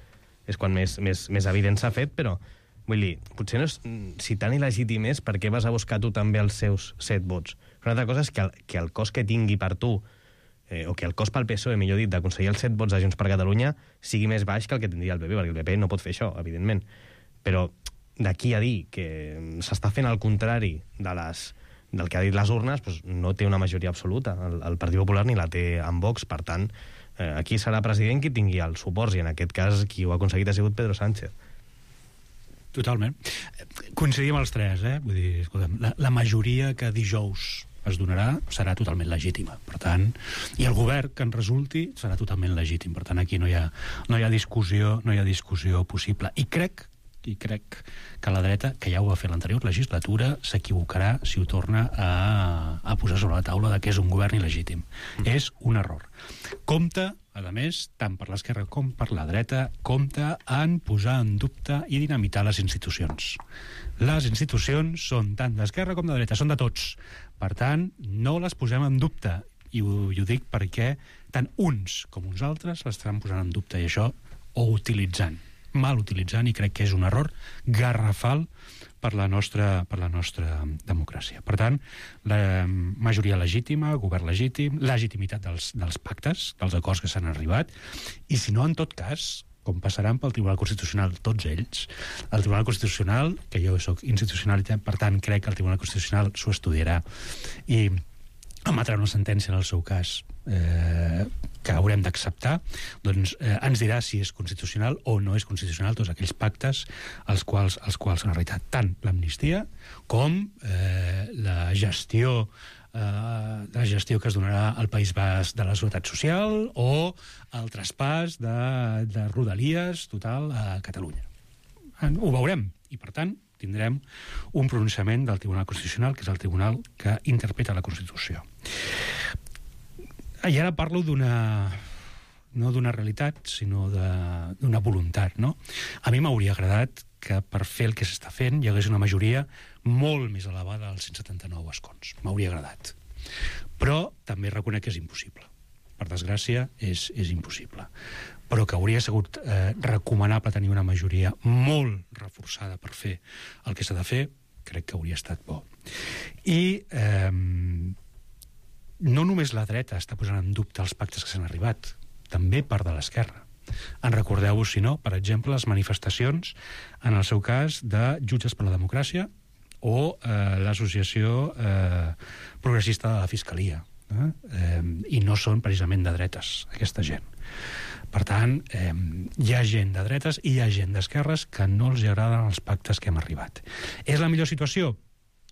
És quan més evident s'ha fet, però vull dir, potser no és, si tan il·legítim és, per què vas a buscar tu també els seus 7 vots? Una altra cosa és que el cost que tingui per tu, o que el cost pel PSOE, millor dit, d'aconseguir els 7 vots de Junts per Catalunya sigui més baix que el que tindria el PP, perquè el PP no pot fer això, evidentment. Però d'aquí a dir que s'està fent el contrari del que ha dit les urnes, doncs no té una majoria absoluta. El Partit Popular ni la té amb Vox, per tant, aquí serà president qui tingui els suports, i en aquest cas qui ho ha aconseguit ha sigut Pedro Sánchez. Totalment. Coincidim els tres, Vull dir, escolta'm, la majoria que dijous es donarà serà totalment legítima. Per tant, i el govern que en resulti serà totalment legítim. Per tant, aquí no hi ha discussió possible. I crec que la dreta, que ja ho va fer l'anterior legislatura, s'equivocarà si ho torna a posar sobre la taula que és un govern il·legítim. És un error. Compte, a més, tant per l'esquerra com per la dreta, compte en posar en dubte i dinamitar les institucions. Les institucions són tant d'esquerra com de dreta, són de tots. Per tant, no les posem en dubte. I ho dic perquè tant uns com uns altres l'estaran posant en dubte, i això, o utilitzant, mal utilitzant, i crec que és un error garrafal per la nostra democràcia. Per tant, la majoria legítima, govern legítim, legitimitat dels pactes, dels acords que s'han arribat, i si no, en tot cas, com passaran pel Tribunal Constitucional tots ells, el Tribunal Constitucional, que jo soc institucionalitat, per tant, crec que el Tribunal Constitucional s'ho estudiarà i emetrà una sentència en el seu cas que haurem d'acceptar, doncs ens dirà si és constitucional o no és constitucional tots aquells pactes als quals s'han arribat, tant l'amnistia com la gestió que es donarà al País Basc de la Seguretat Social o el traspàs de Rodalies total a Catalunya. Ho veurem, i per tant tindrem un pronunciament del Tribunal Constitucional, que és el tribunal que interpreta la Constitució. I ara parlo no d'una realitat, sinó d'una voluntat, no? A mi m'hauria agradat que per fer el que s'està fent hi hagués una majoria molt més elevada als 179 escons. M'hauria agradat. Però també reconec que és impossible. Per desgràcia, és impossible. Però que hauria sigut recomanable tenir una majoria molt reforçada per fer el que s'ha de fer, crec que hauria estat bo. I no només la dreta està posant en dubte els pactes que s'han arribat, també part de l'esquerra. En recordeu-vos, si no, per exemple, les manifestacions, en el seu cas, de Jutges per la Democràcia o l'associació progressista de la Fiscalia. I no són precisament de dretes, aquesta gent. Per tant, hi ha gent de dretes i hi ha gent d'esquerres que no els agraden els pactes que hem arribat. És la millor situació?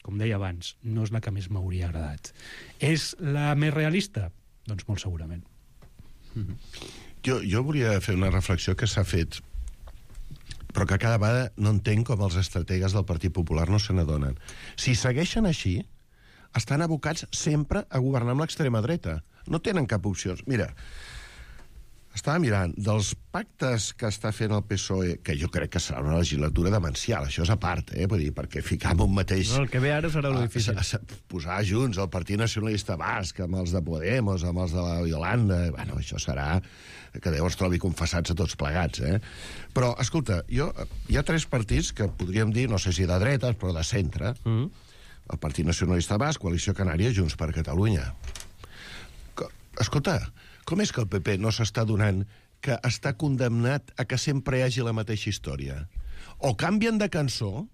Com deia abans, no és la que més m'hauria agradat. És la més realista? Doncs molt segurament. Jo volia fer una reflexió que s'ha fet, però que cada vegada no entenc com els estrategues del Partit Popular no se n'adonen. Si segueixen així, estan abocats sempre a governar amb l'extrema dreta. No tenen cap opció. Mira, estava mirant dels pactes que està fent el PSOE, que jo crec que serà una legislatura demencial, això és a part, vull dir, perquè ficar en un mateix... No, el que ve ara serà lo difícil. Posar junts el Partit Nacionalista Basc amb els de Podemos, amb els de la Yolanda... Bueno, això serà que Déu els trobi confessats a tots plegats, Però, escolta, hi ha 3 partits que podríem dir, no sé si de dretes, però de centre. El Partit Nacionalista Basc, Coalició Canària, Junts per Catalunya. Escolta, com és que el PP no s'està donant que està condemnat a que sempre hi hagi la mateixa història? O canvien de cançó?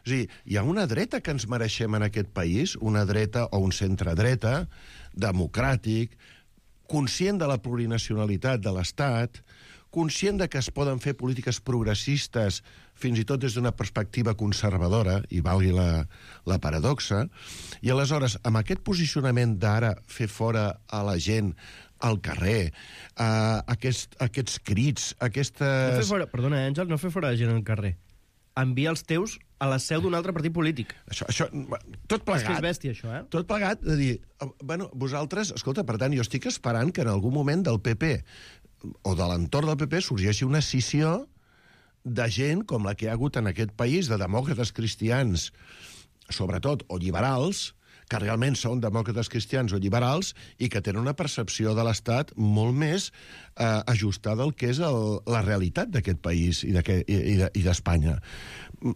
És a dir, hi ha una dreta que ens mereixem en aquest país, una dreta o un centre-dreta, democràtic, conscient de la plurinacionalitat de l'Estat, conscient de que es poden fer polítiques progressistes fins i tot des d'una perspectiva conservadora, i valgui la paradoxa, i aleshores, amb aquest posicionament d'ara fer fora a la gent al carrer, aquests crits, aquestes... Perdona, Àngel, no fer fora la gent al carrer. Envia els teus a la seu d'un altre partit polític. Això, tot plegat... És que és bèstia, això, Tot plegat, de dir, bueno, vosaltres, escolta, per tant, jo estic esperant que en algun moment del PP o de l'entorn del PP sorgeixi una escissió de gent com la que hi ha hagut en aquest país, de demòcrates cristians, sobretot, o liberals, que realment són demòcrates cristians o liberals i que tenen una percepció de l'Estat molt més ajustada al que és la realitat d'aquest país i d'Espanya.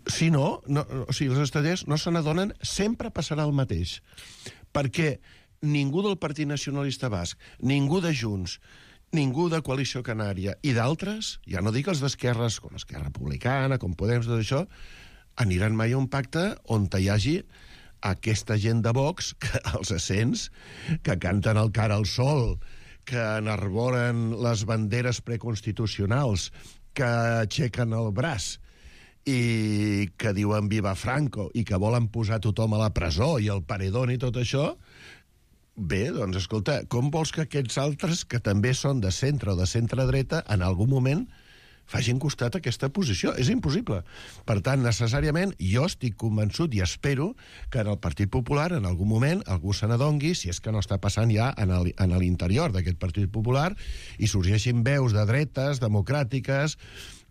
Si no, o sigui, els estratègies no se n'adonen, sempre passarà el mateix. Perquè ningú del Partit Nacionalista Basc, ningú de Junts, ningú de Coalició Canària i d'altres, ja no dic els d'esquerres, com Esquerra Republicana, com Podem, tot això, aniran mai a un pacte on hi hagi aquesta gent de Vox, que els assents, que canten el cara al sol, que enarboren les banderes preconstitucionals, que aixequen el braç i que diuen viva Franco i que volen posar tothom a la presó i el paredón i tot això. Bé, doncs, escolta, com vols que aquests altres, que també són de centre o de centre-dreta, en algun moment facin costat a aquesta posició? És impossible. Per tant, necessàriament, jo estic convençut i espero que en el Partit Popular, en algun moment, algú se n'adongui, si és que no està passant ja en l'interior d'aquest Partit Popular, i sorgeixin veus de dretes, democràtiques,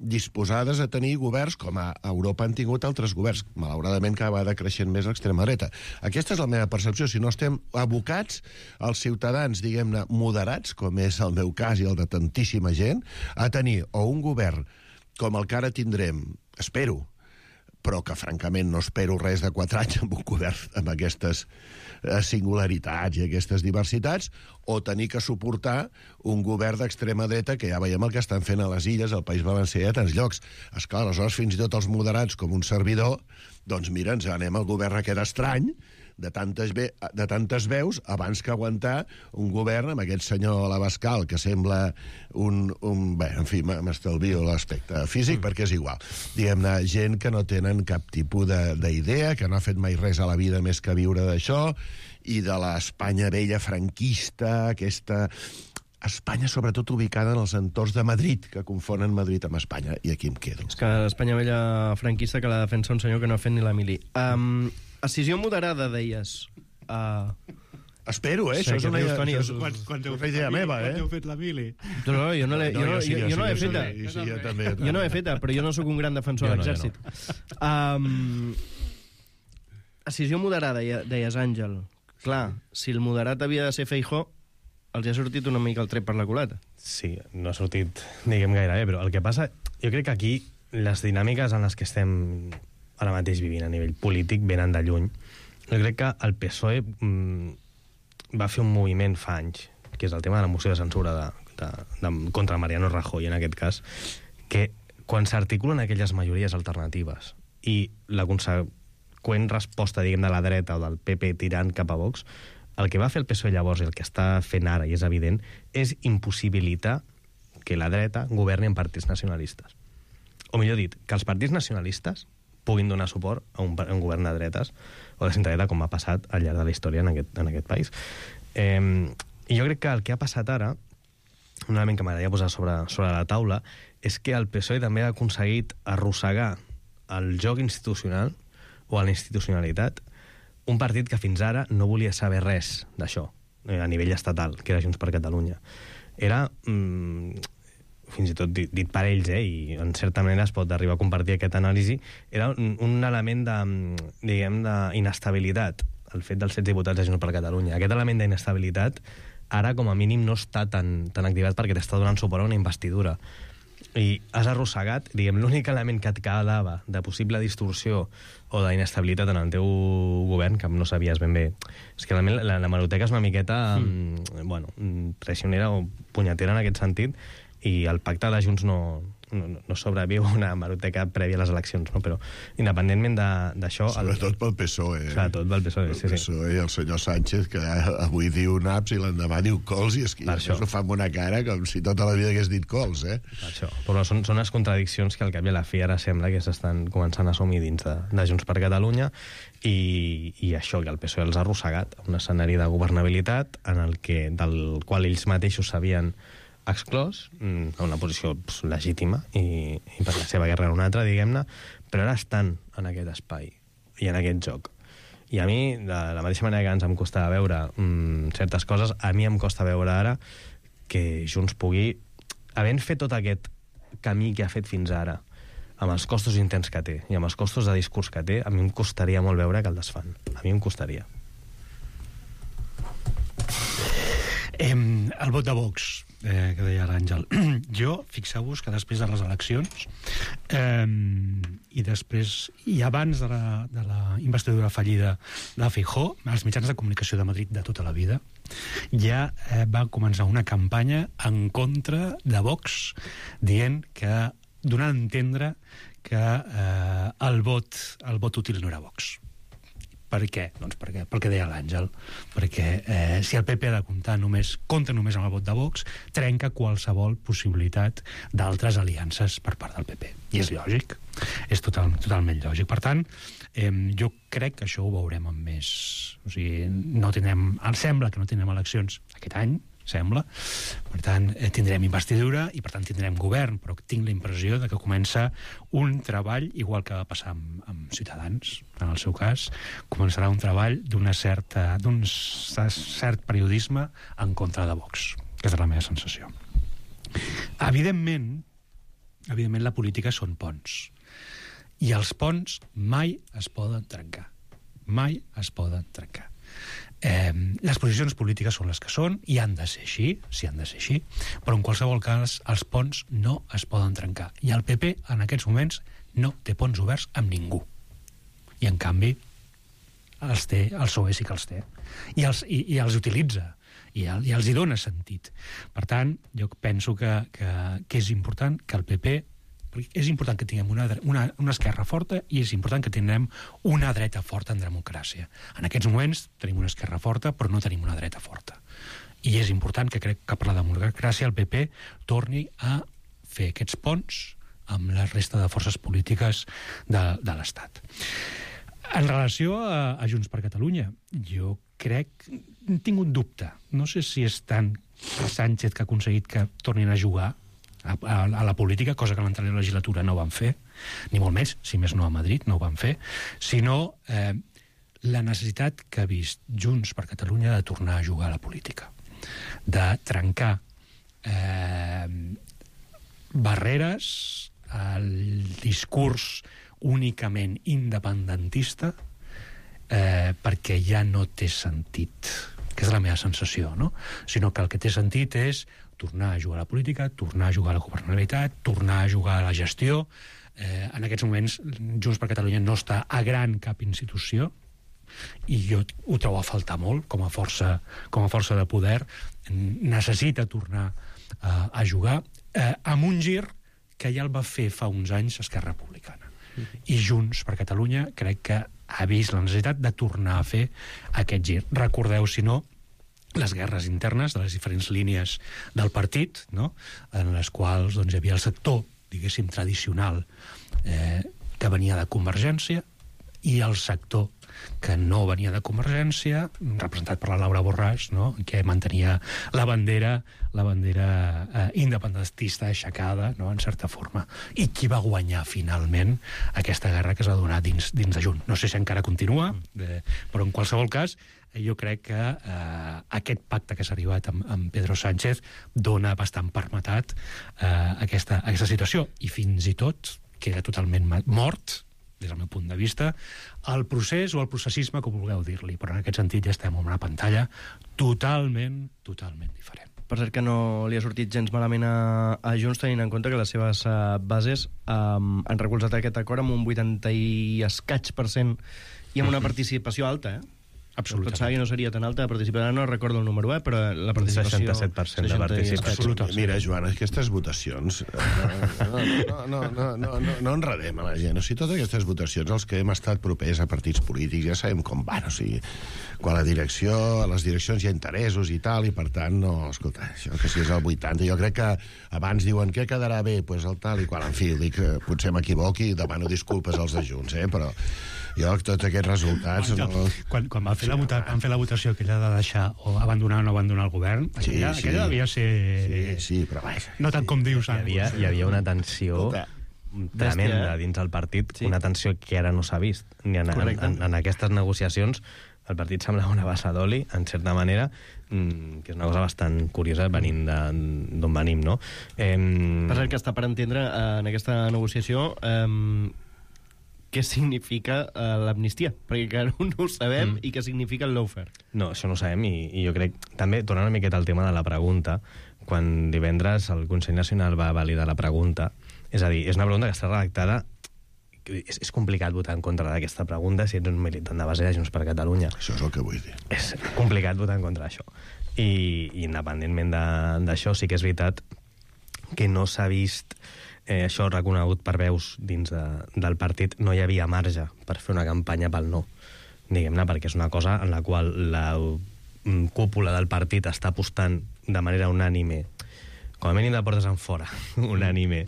disposades a tenir governs com a Europa han tingut altres governs, malauradament cada vegada creixent més l'extrema dreta. Aquesta és la meva percepció. Si no estem abocats als ciutadans, diguem-ne, moderats, com és el meu cas i el de tantíssima gent, a tenir o un govern com el que ara tindrem, espero, però que francament no espero res de 4 anys amb un govern amb aquestes singularitats i aquestes diversitats, o tenir que suportar un govern d'extrema dreta, que ja veiem el que estan fent a les Illes, al País Valencià i a tants llocs. Esclar, aleshores fins i tot els moderats, com un servidor, doncs mira, ens anem al govern aquest estrany, de tantes veus, abans que aguantar un govern amb aquest senyor Abascal, que sembla bé, en fi, m'estalvio l'aspecte físic, perquè és igual. Diguem-ne, gent que no tenen cap tipus d'idea, que no ha fet mai res a la vida més que viure d'això, i de l'Espanya vella franquista, aquesta Espanya sobretot ubicada en els entorns de Madrid, que confonen Madrid amb Espanya, i aquí em quedo. És que l'Espanya vella franquista que la defensa un senyor que no ha fet ni la mili. Escissió moderada, deies. Espero, això és una idea meva, Quan heu fet la mili? No, jo no l'he feta. Jo no l'he feta, però jo no sóc un gran defensor de l'exèrcit. Escissió moderada, deies, Àngel. Clar, si el moderat havia de ser Feijóo, els ha sortit una mica el tret per la culata. Sí, no ha sortit, diguem, gaire bé, però el que passa, jo crec que aquí les dinàmiques en les que estem ara mateix vivint a nivell polític venen de lluny. Jo crec que el PSOE va fer un moviment fa anys, que és el tema de la moció de censura contra Mariano Rajoy, en aquest cas, que quan s'articulen aquelles majories alternatives i la conseqüent resposta, diguem, de la dreta o del PP tirant cap a Vox, el que va fer el PSOE llavors i el que està fent ara, i és evident, és impossibilitar que la dreta governi en partits nacionalistes. O millor dit, que els partits nacionalistes puguin donar suport a un govern de dretes o de centre-dreta, com ha passat al llarg de la història en aquest país. I jo crec que el que ha passat ara un element que m'agradaria posar sobre la taula, és que el PSOE també ha aconseguit arrossegar el joc institucional o a la institucionalitat un partit que fins ara no volia saber res d'això, a nivell estatal, que era Junts per Catalunya. Era, fins i tot dit per ells, i en certa manera es pot arribar a compartir aquest anàlisi, era un element d'inestabilitat, el fet dels 16 diputats de Junts per Catalunya. Aquest element d'inestabilitat ara, com a mínim, no està tan activat perquè t'està donant suport a una investidura. I has arrossegat, l'únic element que et quedava de possible distorsió o d'inestabilitat en el teu govern, que no sabies ben bé. És que realment la hemeroteca és una miqueta traicionera o punyetera en aquest sentit, i el pacte de Junts no sobreviu una hemeroteca prèvia a les eleccions, no? Però independentment d'això... Sobretot pel PSOE. Sobretot pel PSOE, sí. El PSOE i el senyor Sánchez, que avui diu naps i l'endemà diu cols, i és que ho fa amb una cara com si tota la vida hagués dit cols, Per això. Però són les contradiccions que al cap i a la fi ara sembla que s'estan començant a assumir dins de Junts per Catalunya, i això, que el PSOE els ha arrossegat a un escenari de governabilitat del qual ells mateixos s'havien exclòs, a una posició legítima i per la seva guerra en una altra, diguem-ne, però ara estan en aquest espai i en aquest joc. I a mi, de la mateixa manera que ens em costava veure certes coses, a mi em costa veure ara que Junts pugui, havent fet tot aquest camí que ha fet fins ara, amb els costos interns que té i amb els costos de discurs que té, a mi em costaria molt veure que el desfan. A mi em costaria. El vot de Vox, que deia l'Àngel. Jo, fixeu-vos que després de les eleccions i abans de la investidura fallida de Feijóo, els mitjans de comunicació de Madrid de tota la vida ja va començar una campanya en contra de Vox, donant a entendre que el vot útil no era Vox. Per què? Doncs perquè deia l'Àngel. Perquè si el PP ha de compta només amb el vot de Vox, trenca qualsevol possibilitat d'altres aliances per part del PP. I és lògic. És totalment lògic. Per tant, jo crec que això ho veurem amb més... O sigui, sembla que no tindrem eleccions aquest any, sembla. Per tant, tindrem investidura i per tant tindrem govern, però tinc la impressió de que comença un treball, igual que va passar amb Ciutadans, en el seu cas, començarà un treball d'un cert periodisme en contra de Vox, que és la meva sensació. Evidentment, la política són ponts. I els ponts mai es poden trencar. Mai es poden trencar. Les posicions polítiques són les que són i han de ser així, però en qualsevol cas els ponts no es poden trencar, i el PP en aquests moments no té ponts oberts amb ningú, i en canvi el PSOE sí que els té i els utilitza i els hi dona sentit. Per tant, jo penso que és important que el PP, és important que tinguem una esquerra forta i és important que tinguem una dreta forta en democràcia. En aquests moments tenim una esquerra forta, però no tenim una dreta forta. I és important que crec que per la democràcia el PP torni a fer aquests ponts amb la resta de forces polítiques de l'Estat. En relació a Junts per Catalunya, jo crec... Tinc un dubte. No sé si és tant Sánchez que ha aconseguit que tornin a jugar a la política, cosa que a l'anterior legislatura no van fer, ni molt més, si més no a Madrid, no ho van fer, sinó la necessitat que ha vist Junts per Catalunya de tornar a jugar a la política, de trencar barreres al discurs únicament independentista, perquè ja no té sentit, que és la meva sensació, no? Sinó que el que té sentit és tornar a jugar a la política, tornar a jugar a la governabilitat, tornar a jugar a la gestió. En aquests moments Junts per Catalunya no està a gran cap institució i jo ho trobo a faltar molt com a força de poder. Necessita tornar a jugar amb un gir que ja el va fer fa uns anys Esquerra Republicana. I Junts per Catalunya crec que ha vist la necessitat de tornar a fer aquest gir. Recordeu, si no, les guerres internes de les diferents línies del partit, no? En les quals hi havia el sector, diguéssim, tradicional, que venia de Convergència, i el sector que no venia de Convergència, representat per la Laura Borràs, no? Que mantenia la bandera independentista aixecada, no? En certa forma. I qui va guanyar finalment aquesta guerra que es va donar dins de Junts. No sé si encara continua, però en qualsevol cas jo crec que aquest pacte que s'ha arribat amb Pedro Sánchez dona bastant permetat aquesta situació, i fins i tot queda totalment mort, des del meu punt de vista, el procés o el processisme, com vulgueu dir-li, però en aquest sentit ja estem en una pantalla totalment diferent. Per cert que no li ha sortit gens malament a Junts, tenint en compte que les seves bases han recolzat aquest acord amb un 80 i escaig % i amb una participació alta, Absolutament. Pensava que no seria tan alta la participació, no recordo el número, però la participació... 67% de participació. Mira, Joan, aquestes votacions... No enredem a la gent. O sigui, totes aquestes votacions, els que hem estat propers a partits polítics, ja sabem com van. O sigui, quan a les direccions hi ha interessos i tal, i per tant, no, escolta, això que si és el 80, jo crec que abans diuen què quedarà bé, doncs el tal, i quan, en fi, dic que potser m'equivoqui i demano disculpes als de Junts, però... Jo, tots aquests resultats... Quan van fer la votació aquella de deixar o abandonar o no abandonar el govern, aquella devia ser... Sí, però vaja... No tant com dius, Hi havia una tensió tremenda dins el partit, una tensió que ara no s'ha vist. Ni en aquestes negociacions el partit semblava una bassa d'oli, en certa manera, que és una cosa bastant curiosa venint d'on venim, no? Per cert, que està per entendre en aquesta negociació... què significa l'amnistia, perquè encara no ho sabem, i què significa el lawfare. No, això no ho sabem, i jo crec, també, tornant una miqueta al tema de la pregunta, quan divendres el Consell Nacional va validar la pregunta, és a dir, és una pregunta que està redactada, és complicat votar en contra d'aquesta pregunta si ets un militant de base de Junts per Catalunya. Això és el que vull dir. És complicat votar en contra d'això. I independentment d'això, sí que és veritat que no s'ha vist... això reconegut per veus dins del partit, no hi havia marge per fer una campanya pel no, diguem-ne, perquè és una cosa en la qual la cúpula del partit està apostant de manera unànime, com a mínim de portes en fora, unànime,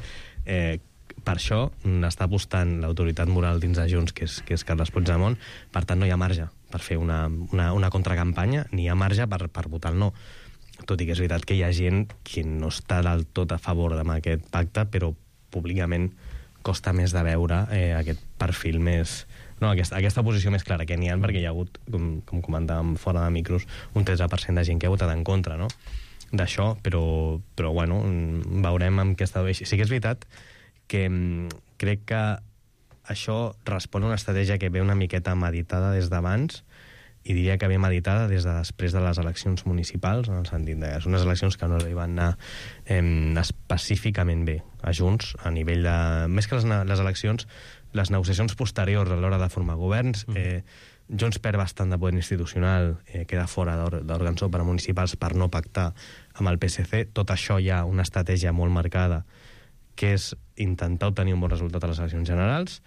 per això està apostant l'autoritat moral dins de Junts, que és Carles Puigdemont. Per tant, no hi ha marge per fer una contracampanya, ni hi ha marge per votar el no. Tot i que és veritat que hi ha gent que no està del tot a favor d'aquest pacte, però públicament costa més de veure aquest perfil més... No, aquesta posició més clara que n'hi ha, perquè hi ha hagut, com comentàvem fora de micros, un 13% de gent que ha votat en contra, no?, d'això, però bueno, veurem amb què està... Sí que és veritat que crec que això respon a una estratègia que ve una miqueta meditada des d'abans, i diria que ve meditada des de després de les eleccions municipals, en el sentit que són unes eleccions que no li van anar específicament bé a Junts, a nivell de... Més que les eleccions, les negociacions posteriors a l'hora de formar governs, Junts perd bastant de poder institucional, queda fora d'òrgans municipals per no pactar amb el PSC. Tot això hi ha una estratègia molt marcada, que és intentar obtenir un bon resultat a les eleccions generals.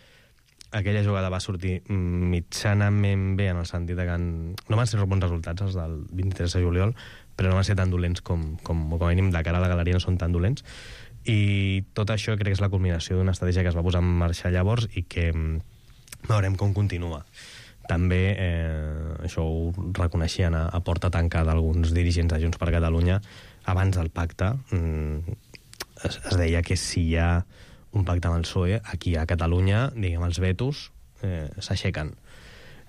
Aquella jugada va sortir mitjanament bé, en el sentit que no van ser bons resultats els del 23 de juliol, però no van ser tan dolents com a mínim de cara a la galeria no són tan dolents, i tot això crec que és la culminació d'una estratègia que es va posar en marxa llavors i que veurem com continua. També això ho reconeixien a porta tancada alguns dirigents de Junts per Catalunya. Abans del pacte es deia que si hi ha un pacte amb el PSOE, aquí a Catalunya, diguem, els vetos s'aixequen.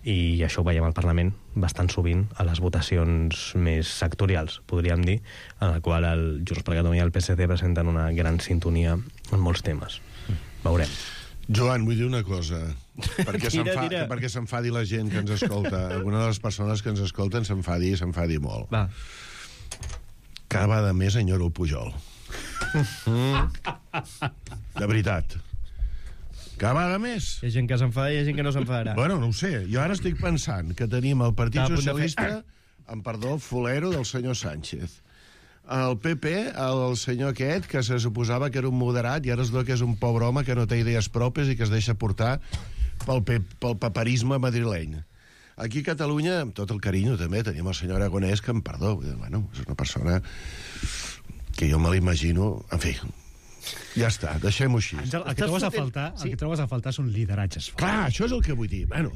I això ho veiem al Parlament bastant sovint a les votacions més sectorials, podríem dir, en la qual el Junts per Catalunya i el PSC presenten una gran sintonia en molts temes. Veurem. Joan, vull dir una cosa, perquè s'enfadi la gent que ens escolta. Alguna de les persones que ens escolten s'enfadi molt. Va. Cada vegada més enyoro el Pujol. De veritat. Cada vegada més. Hi ha gent que s'enfada i hi ha gent que no s'enfadarà. Bueno, no ho sé. Jo ara estic pensant que tenim el Partit Socialista, amb perdó, el fulero del senyor Sánchez. El PP, el senyor aquest, que se suposava que era un moderat i ara es veu que és un pobre home que no té idees pròpies i que es deixa portar pel paperisme madrileny. Aquí a Catalunya, amb tot el carinyo també, tenim el senyor Aragonès, que, em perdó, bueno, és una persona que jo me l'imagino, en fi, Ja està, deixem-ho així. Àngel, el que trobes a faltar són lideratges forts. Clar, això és el que vull dir. Bueno,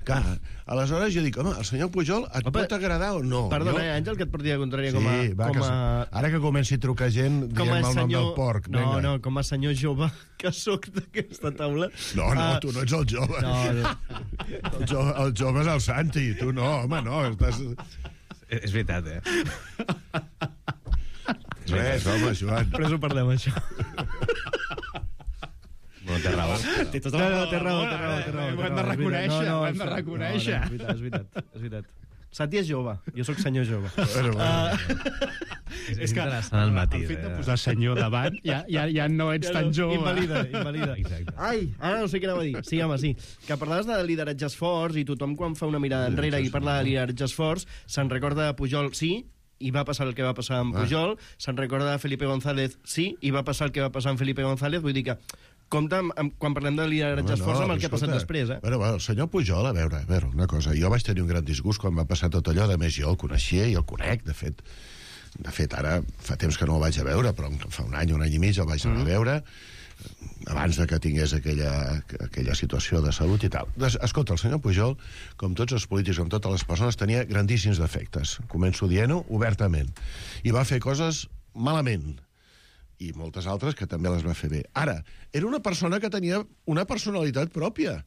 clar, aleshores jo dic, home, el senyor Pujol et pot agradar o no? Perdona, Àngel, que et porti de contrària com a... Sí, va, ara que comenci a trucar gent dient el nom del porc. No, com a senyor jove que sóc d'aquesta taula... No, tu no ets el jove. El jove és el Santi, tu no, home, no. És veritat, Res, home, Joan. Però ho parlem, això. No, té raó. Té raó. Ho hem de reconèixer. És veritat. Santi és jove, jo sóc senyor jove. És que el matí, el fet de posar senyor davant ja no ets tan jove. Invalida. Ai, ara no sé què anava a dir. Sí, home, sí. Que parlaves de lideratges forts i tothom quan fa una mirada enrere i parla de lideratges forts se'n recorda de Pujol, sí, i va passar el que va passar amb Pujol, se'n recorda de Felipe González, sí, i va passar el que va passar amb Felipe González, vull dir que compte quan parlem de lideratges forts amb el que ha passat després, Bueno, el senyor Pujol, a veure, una cosa, jo vaig tenir un gran disgust quan va passar tot allò, de més jo el coneixia i el conec, de fet ara fa temps que no el vaig a veure, però fa un any i mig el vaig anar a veure, abans de que tingués aquella situació de salut i tal. Escolta, el senyor Pujol, com tots els polítics, com totes les persones, tenia grandíssims defectes. Començo dient-ho obertament. I va fer coses malament. I moltes altres que també les va fer bé. Ara, era una persona que tenia una personalitat pròpia.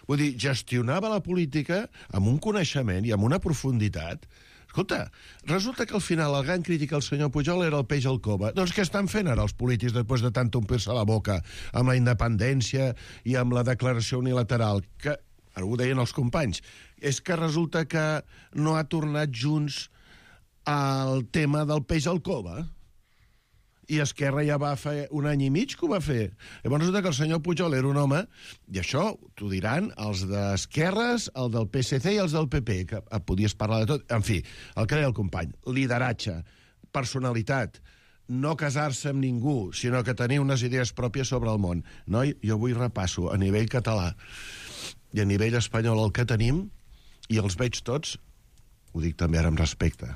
Vull dir, gestionava la política amb un coneixement i amb una profunditat. Escolta, resulta que al final el gran crític al senyor Pujol era el peix al cova. Doncs què estan fent ara els polítics després de tant omplir-se la boca amb la independència i amb la declaració unilateral? Que, ara ho deien els companys, és que resulta que no ha tornat junts al tema del peix al cova? I Esquerra ja va fer un any i mig que ho va fer. Llavors resulta que el senyor Pujol era un home, i això t'ho diran els d'esquerres, el del PSC i els del PP, que podies parlar de tot. En fi, el que deia el company, lideratge, personalitat, no casar-se amb ningú, sinó que tenir unes idees pròpies sobre el món. Noi, jo avui repasso a nivell català i a nivell espanyol el que tenim, i els veig tots, ho dic també ara amb respecte,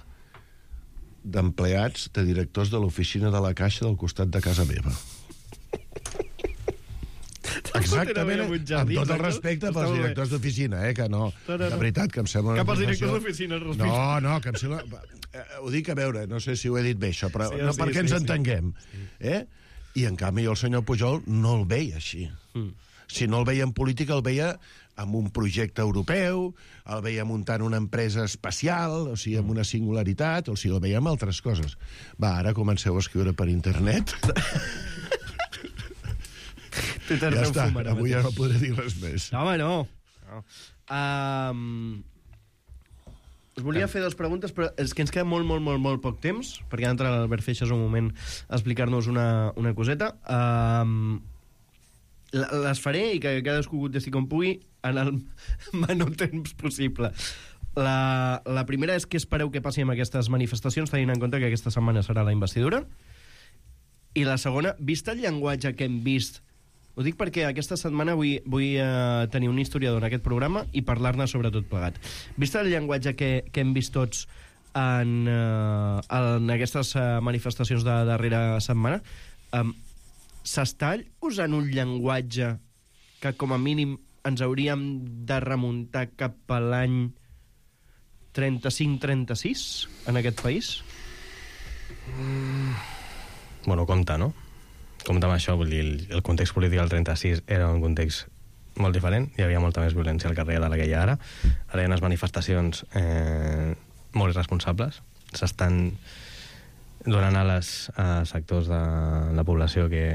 d'empleats, de directors de l'oficina de la Caixa del costat de casa meva. Exactament, amb tot el respecte pels directors d'oficina, que no, de veritat, que em sembla... Cap als directors d'oficina, No, que em sembla... Ho dic a veure, no sé si ho he dit bé, això, però no perquè ens entenguem. I, en canvi, el senyor Pujol no el veia així. Si no el veia en política, el veia amb un projecte europeu, el veia muntant una empresa espacial, o sigui, amb una singularitat, o sigui, el veia amb altres coses. Va, ara comenceu a escriure per internet. Ja està, avui ja no podré dir res més. No, home, no. Us volia fer dues preguntes, però és que ens queda molt poc temps, perquè ha d'entrar l'Albert Feixas un moment a explicar-nos una coseta. Les faré i que cadascú contesti com pugui en el menor temps possible. La primera és què espereu que passi amb aquestes manifestacions, tenint en compte que aquesta setmana serà la investidura. I la segona, vist el llenguatge que hem vist, ho dic perquè aquesta setmana vull tenir un historiador en aquest programa i parlar-ne sobre tot plegat. Vist el llenguatge que hem vist tots en aquestes manifestacions de darrera setmana, s'està usant un llenguatge que com a mínim ens hauríem de remuntar cap a l'any 35-36 en aquest país? Bueno, compte, no? Compte amb això, vull dir, el context polític del 36 era un context molt diferent, hi havia molta més violència al carrer de la que hi ha ara. Ara hi ha unes manifestacions molt irresponsables, s'estan donant a sectors de la població que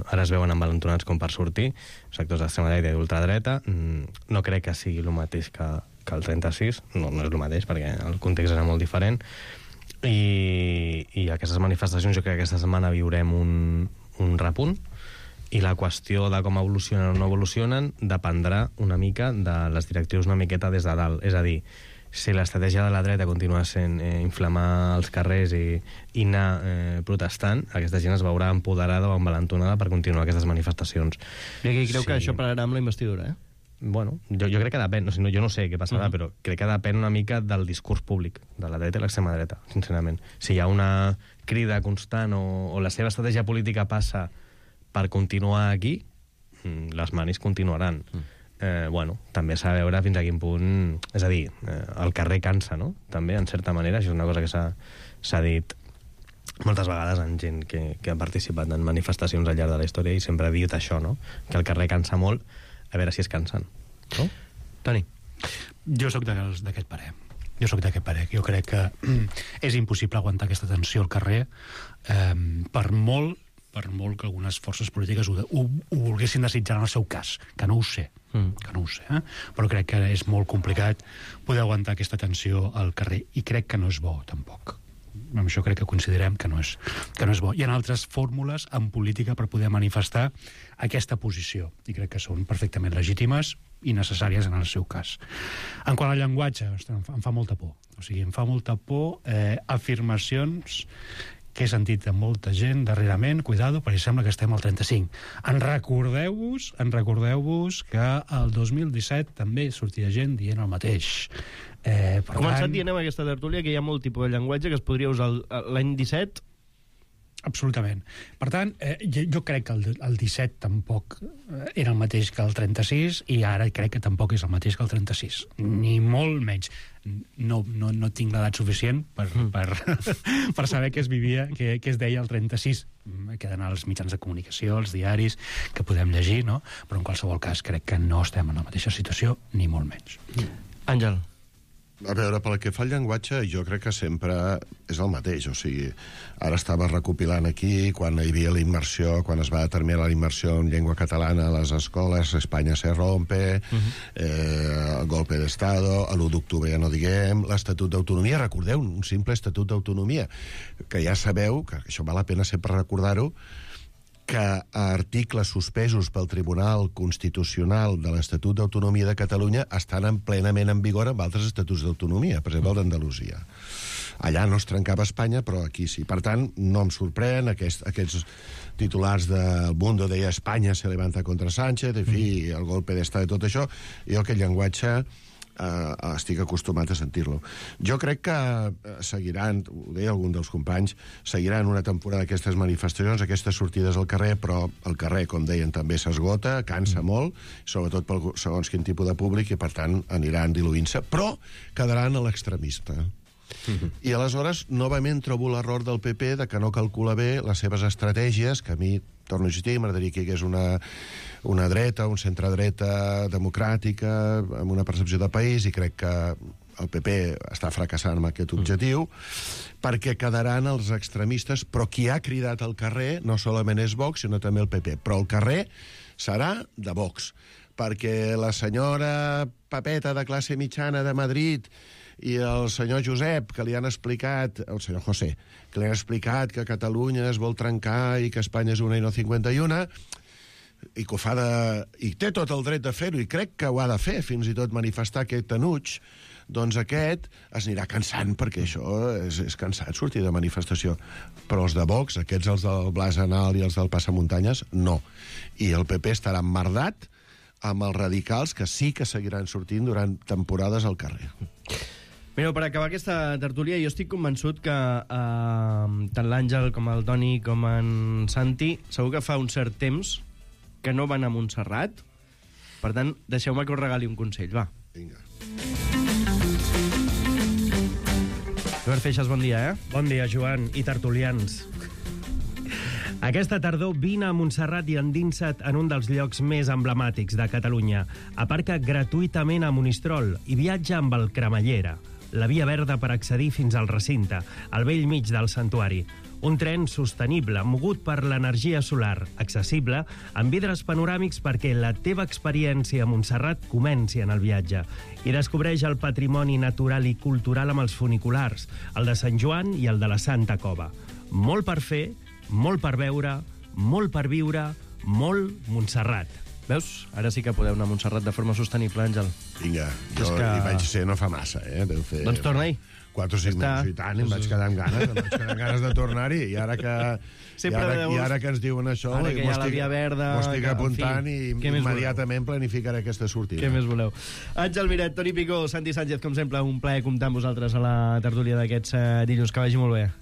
ara es veuen envalentonats com per sortir, sectors d'extrema dreta i d'ultradreta. No crec que sigui el mateix que el 36, no és el mateix perquè el context era molt diferent, i aquestes manifestacions jo crec que aquesta setmana viurem un repunt, i la qüestió de com evolucionen o no evolucionen dependrà una mica de les directrius una miqueta des de dalt, és a dir, si l'estratègia de la dreta continua sent inflamar els carrers i anar protestant, aquesta gent es veurà empoderada o envalentonada per continuar aquestes manifestacions. I aquí creu que això pararà amb la investidura, Bueno, jo crec que depèn, jo no sé què passarà, però crec que depèn una mica del discurs públic de la dreta i l'extrema dreta, sincerament. Si hi ha una crida constant o la seva estratègia política passa per continuar aquí, les manis continuaran. Bueno, també s'ha de veure fins a quin punt... És a dir, el carrer cansa, no? També, en certa manera, això és una cosa que s'ha dit moltes vegades en gent que ha participat en manifestacions al llarg de la història i sempre ha dit això, no? Que el carrer cansa molt, a veure si es cansen. No? Toni. Jo sóc d'aquest parer. Jo crec que és impossible aguantar aquesta tensió al carrer per molt que algunes forces polítiques ho volguessin desitjar en el seu cas, que no ho sé, però crec que és molt complicat poder aguantar aquesta tensió al carrer, i crec que no és bo, tampoc. Amb això crec que considerem que no és bo. Hi ha altres fórmules en política per poder manifestar aquesta posició, i crec que són perfectament legítimes i necessàries en el seu cas. En quant al llenguatge, em fa molta por. O sigui, em fa molta por afirmacions que he sentit de molta gent darrerament, cuidado, perquè sembla que estem al 35. Recordeu-vos que el 2017 també sortia gent dient el mateix. Començat dient amb aquesta tertúlia que hi ha molt tipus de llenguatge que es podria usar l'any 17. Absolutament. Per tant, jo crec que el 17 tampoc era el mateix que el 36, i ara crec que tampoc és el mateix que el 36. Ni molt menys. No tinc l'edat suficient per saber què es vivia, què es deia el 36. Queden als mitjans de comunicació, als diaris, que podem llegir, no? Però en qualsevol cas crec que no estem en la mateixa situació, ni molt menys. Àngel. A veure, pel que fa al llenguatge, jo crec que sempre és el mateix. O sigui, ara estava recopilant aquí, quan hi havia la immersió, quan es va determinar la immersió en llengua catalana a les escoles, Espanya se rompe, el golpe d'Estado, l'1 d'octubre ja no diguem, l'Estatut d'Autonomia, recordeu, un simple Estatut d'Autonomia, que ja sabeu, que això val la pena sempre recordar-ho, que articles suspesos pel Tribunal Constitucional de l'Estatut d'Autonomia de Catalunya estan plenament en vigor amb altres estatuts d'autonomia, per exemple el d'Andalusia. Allà no es trencava Espanya, però aquí sí. Per tant, no em sorprèn aquests titulars del Mundo deia Espanya se levanta contra Sánchez, en fi, el golpe d'estat i tot això. Jo aquest llenguatge estic acostumat a sentir-lo. Jo crec que seguiran, ho deia algun dels companys, seguiran una temporada d'aquestes manifestacions, aquestes sortides al carrer, però el carrer, com deien, també s'esgota, cansa molt, sobretot pel segons quin tipus de públic, i per tant aniran diluint-se, però quedaran a l'extremista. I aleshores, novament trobo l'error del PP de que no calcula bé les seves estratègies, que a mi, torno a insistir, m'agradaria que hi hagués una dreta, un centre-dreta democràtica, amb una percepció de país, i crec que el PP està fracassant amb aquest objectiu, perquè quedaran els extremistes, però qui ha cridat al carrer no solament és Vox, sinó també el PP. Però el carrer serà de Vox, perquè la senyora Papeta de classe mitjana de Madrid i el senyor Josep, que li han explicat, el senyor José, que li han explicat que Catalunya es vol trencar i que Espanya és una i no 51, i que ho fa i té tot el dret de fer-ho, i crec que ho ha de fer, fins i tot manifestar aquest enuig, doncs aquest es anirà cansant, perquè això és cansat, sortir de manifestació. Però els de Vox, aquests, els del Blas Anal i els del Passamuntanyes, no. I el PP estarà emmerdat amb els radicals, que sí que seguiran sortint durant temporades al carrer. Mireu, per acabar aquesta tertúlia, jo estic convençut que tant l'Àngel com el Toni com en Santi segur que fa un cert temps que no van a Montserrat. Per tant, deixeu-me que us regali un consell, va. Vinga. Albert Feixas, bon dia, Bon dia, Joan, i tertulians. Aquesta tardor vine a Montserrat i endinsa't en un dels llocs més emblemàtics de Catalunya. Aparca gratuïtament a Monistrol i viatja amb el Cremallera, la via verda per accedir fins al recinte, al vell mig del santuari. Un tren sostenible, mogut per l'energia solar, accessible, amb vidres panoràmics perquè la teva experiència a Montserrat comenci en el viatge. I descobreix el patrimoni natural i cultural amb els funiculars, el de Sant Joan i el de la Santa Cova. Molt per fer, molt per veure, molt per viure, molt Montserrat. Veus? Ara sí que podeu anar a Montserrat de forma sostenible, Àngel. Vinga, jo hi vaig ser no fa massa, Deu fer... Doncs torna-hi. 4 o 5 mesos i tant, em vaig quedar amb ganes, de tornar-hi, i ara que ens diuen això, ara que hi ha la via verda, m'ho estic apuntant i immediatament planificaré aquesta sortida. Què més voleu? Àngel Miret, Toni Picó, Santi Sánchez, com sempre, un plaer comptar amb vosaltres a la tertúlia d'aquests dilluns. Que vagi molt bé.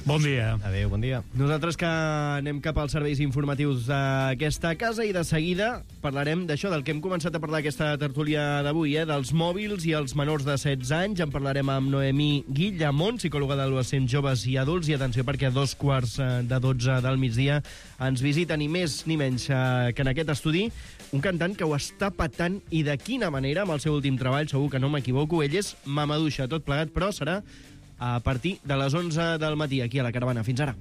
Bon dia. Adéu, bon dia. Nosaltres que anem cap als serveis informatius d'aquesta casa i de seguida parlarem d'això, del que hem començat a parlar aquesta tertúlia d'avui, dels mòbils i els menors de 16 anys. En parlarem amb Noemí Guillamont, psicòloga d'adolescents, joves i adults, i atenció perquè a 11:45 del migdia ens visita ni més ni menys que en aquest estudi un cantant que ho està patant, i de quina manera, amb el seu últim treball, segur que no m'equivoco. Ell és Mamadouxa, tot plegat, però serà a partir de les 11 del matí, aquí a la Caravana. Fins ara.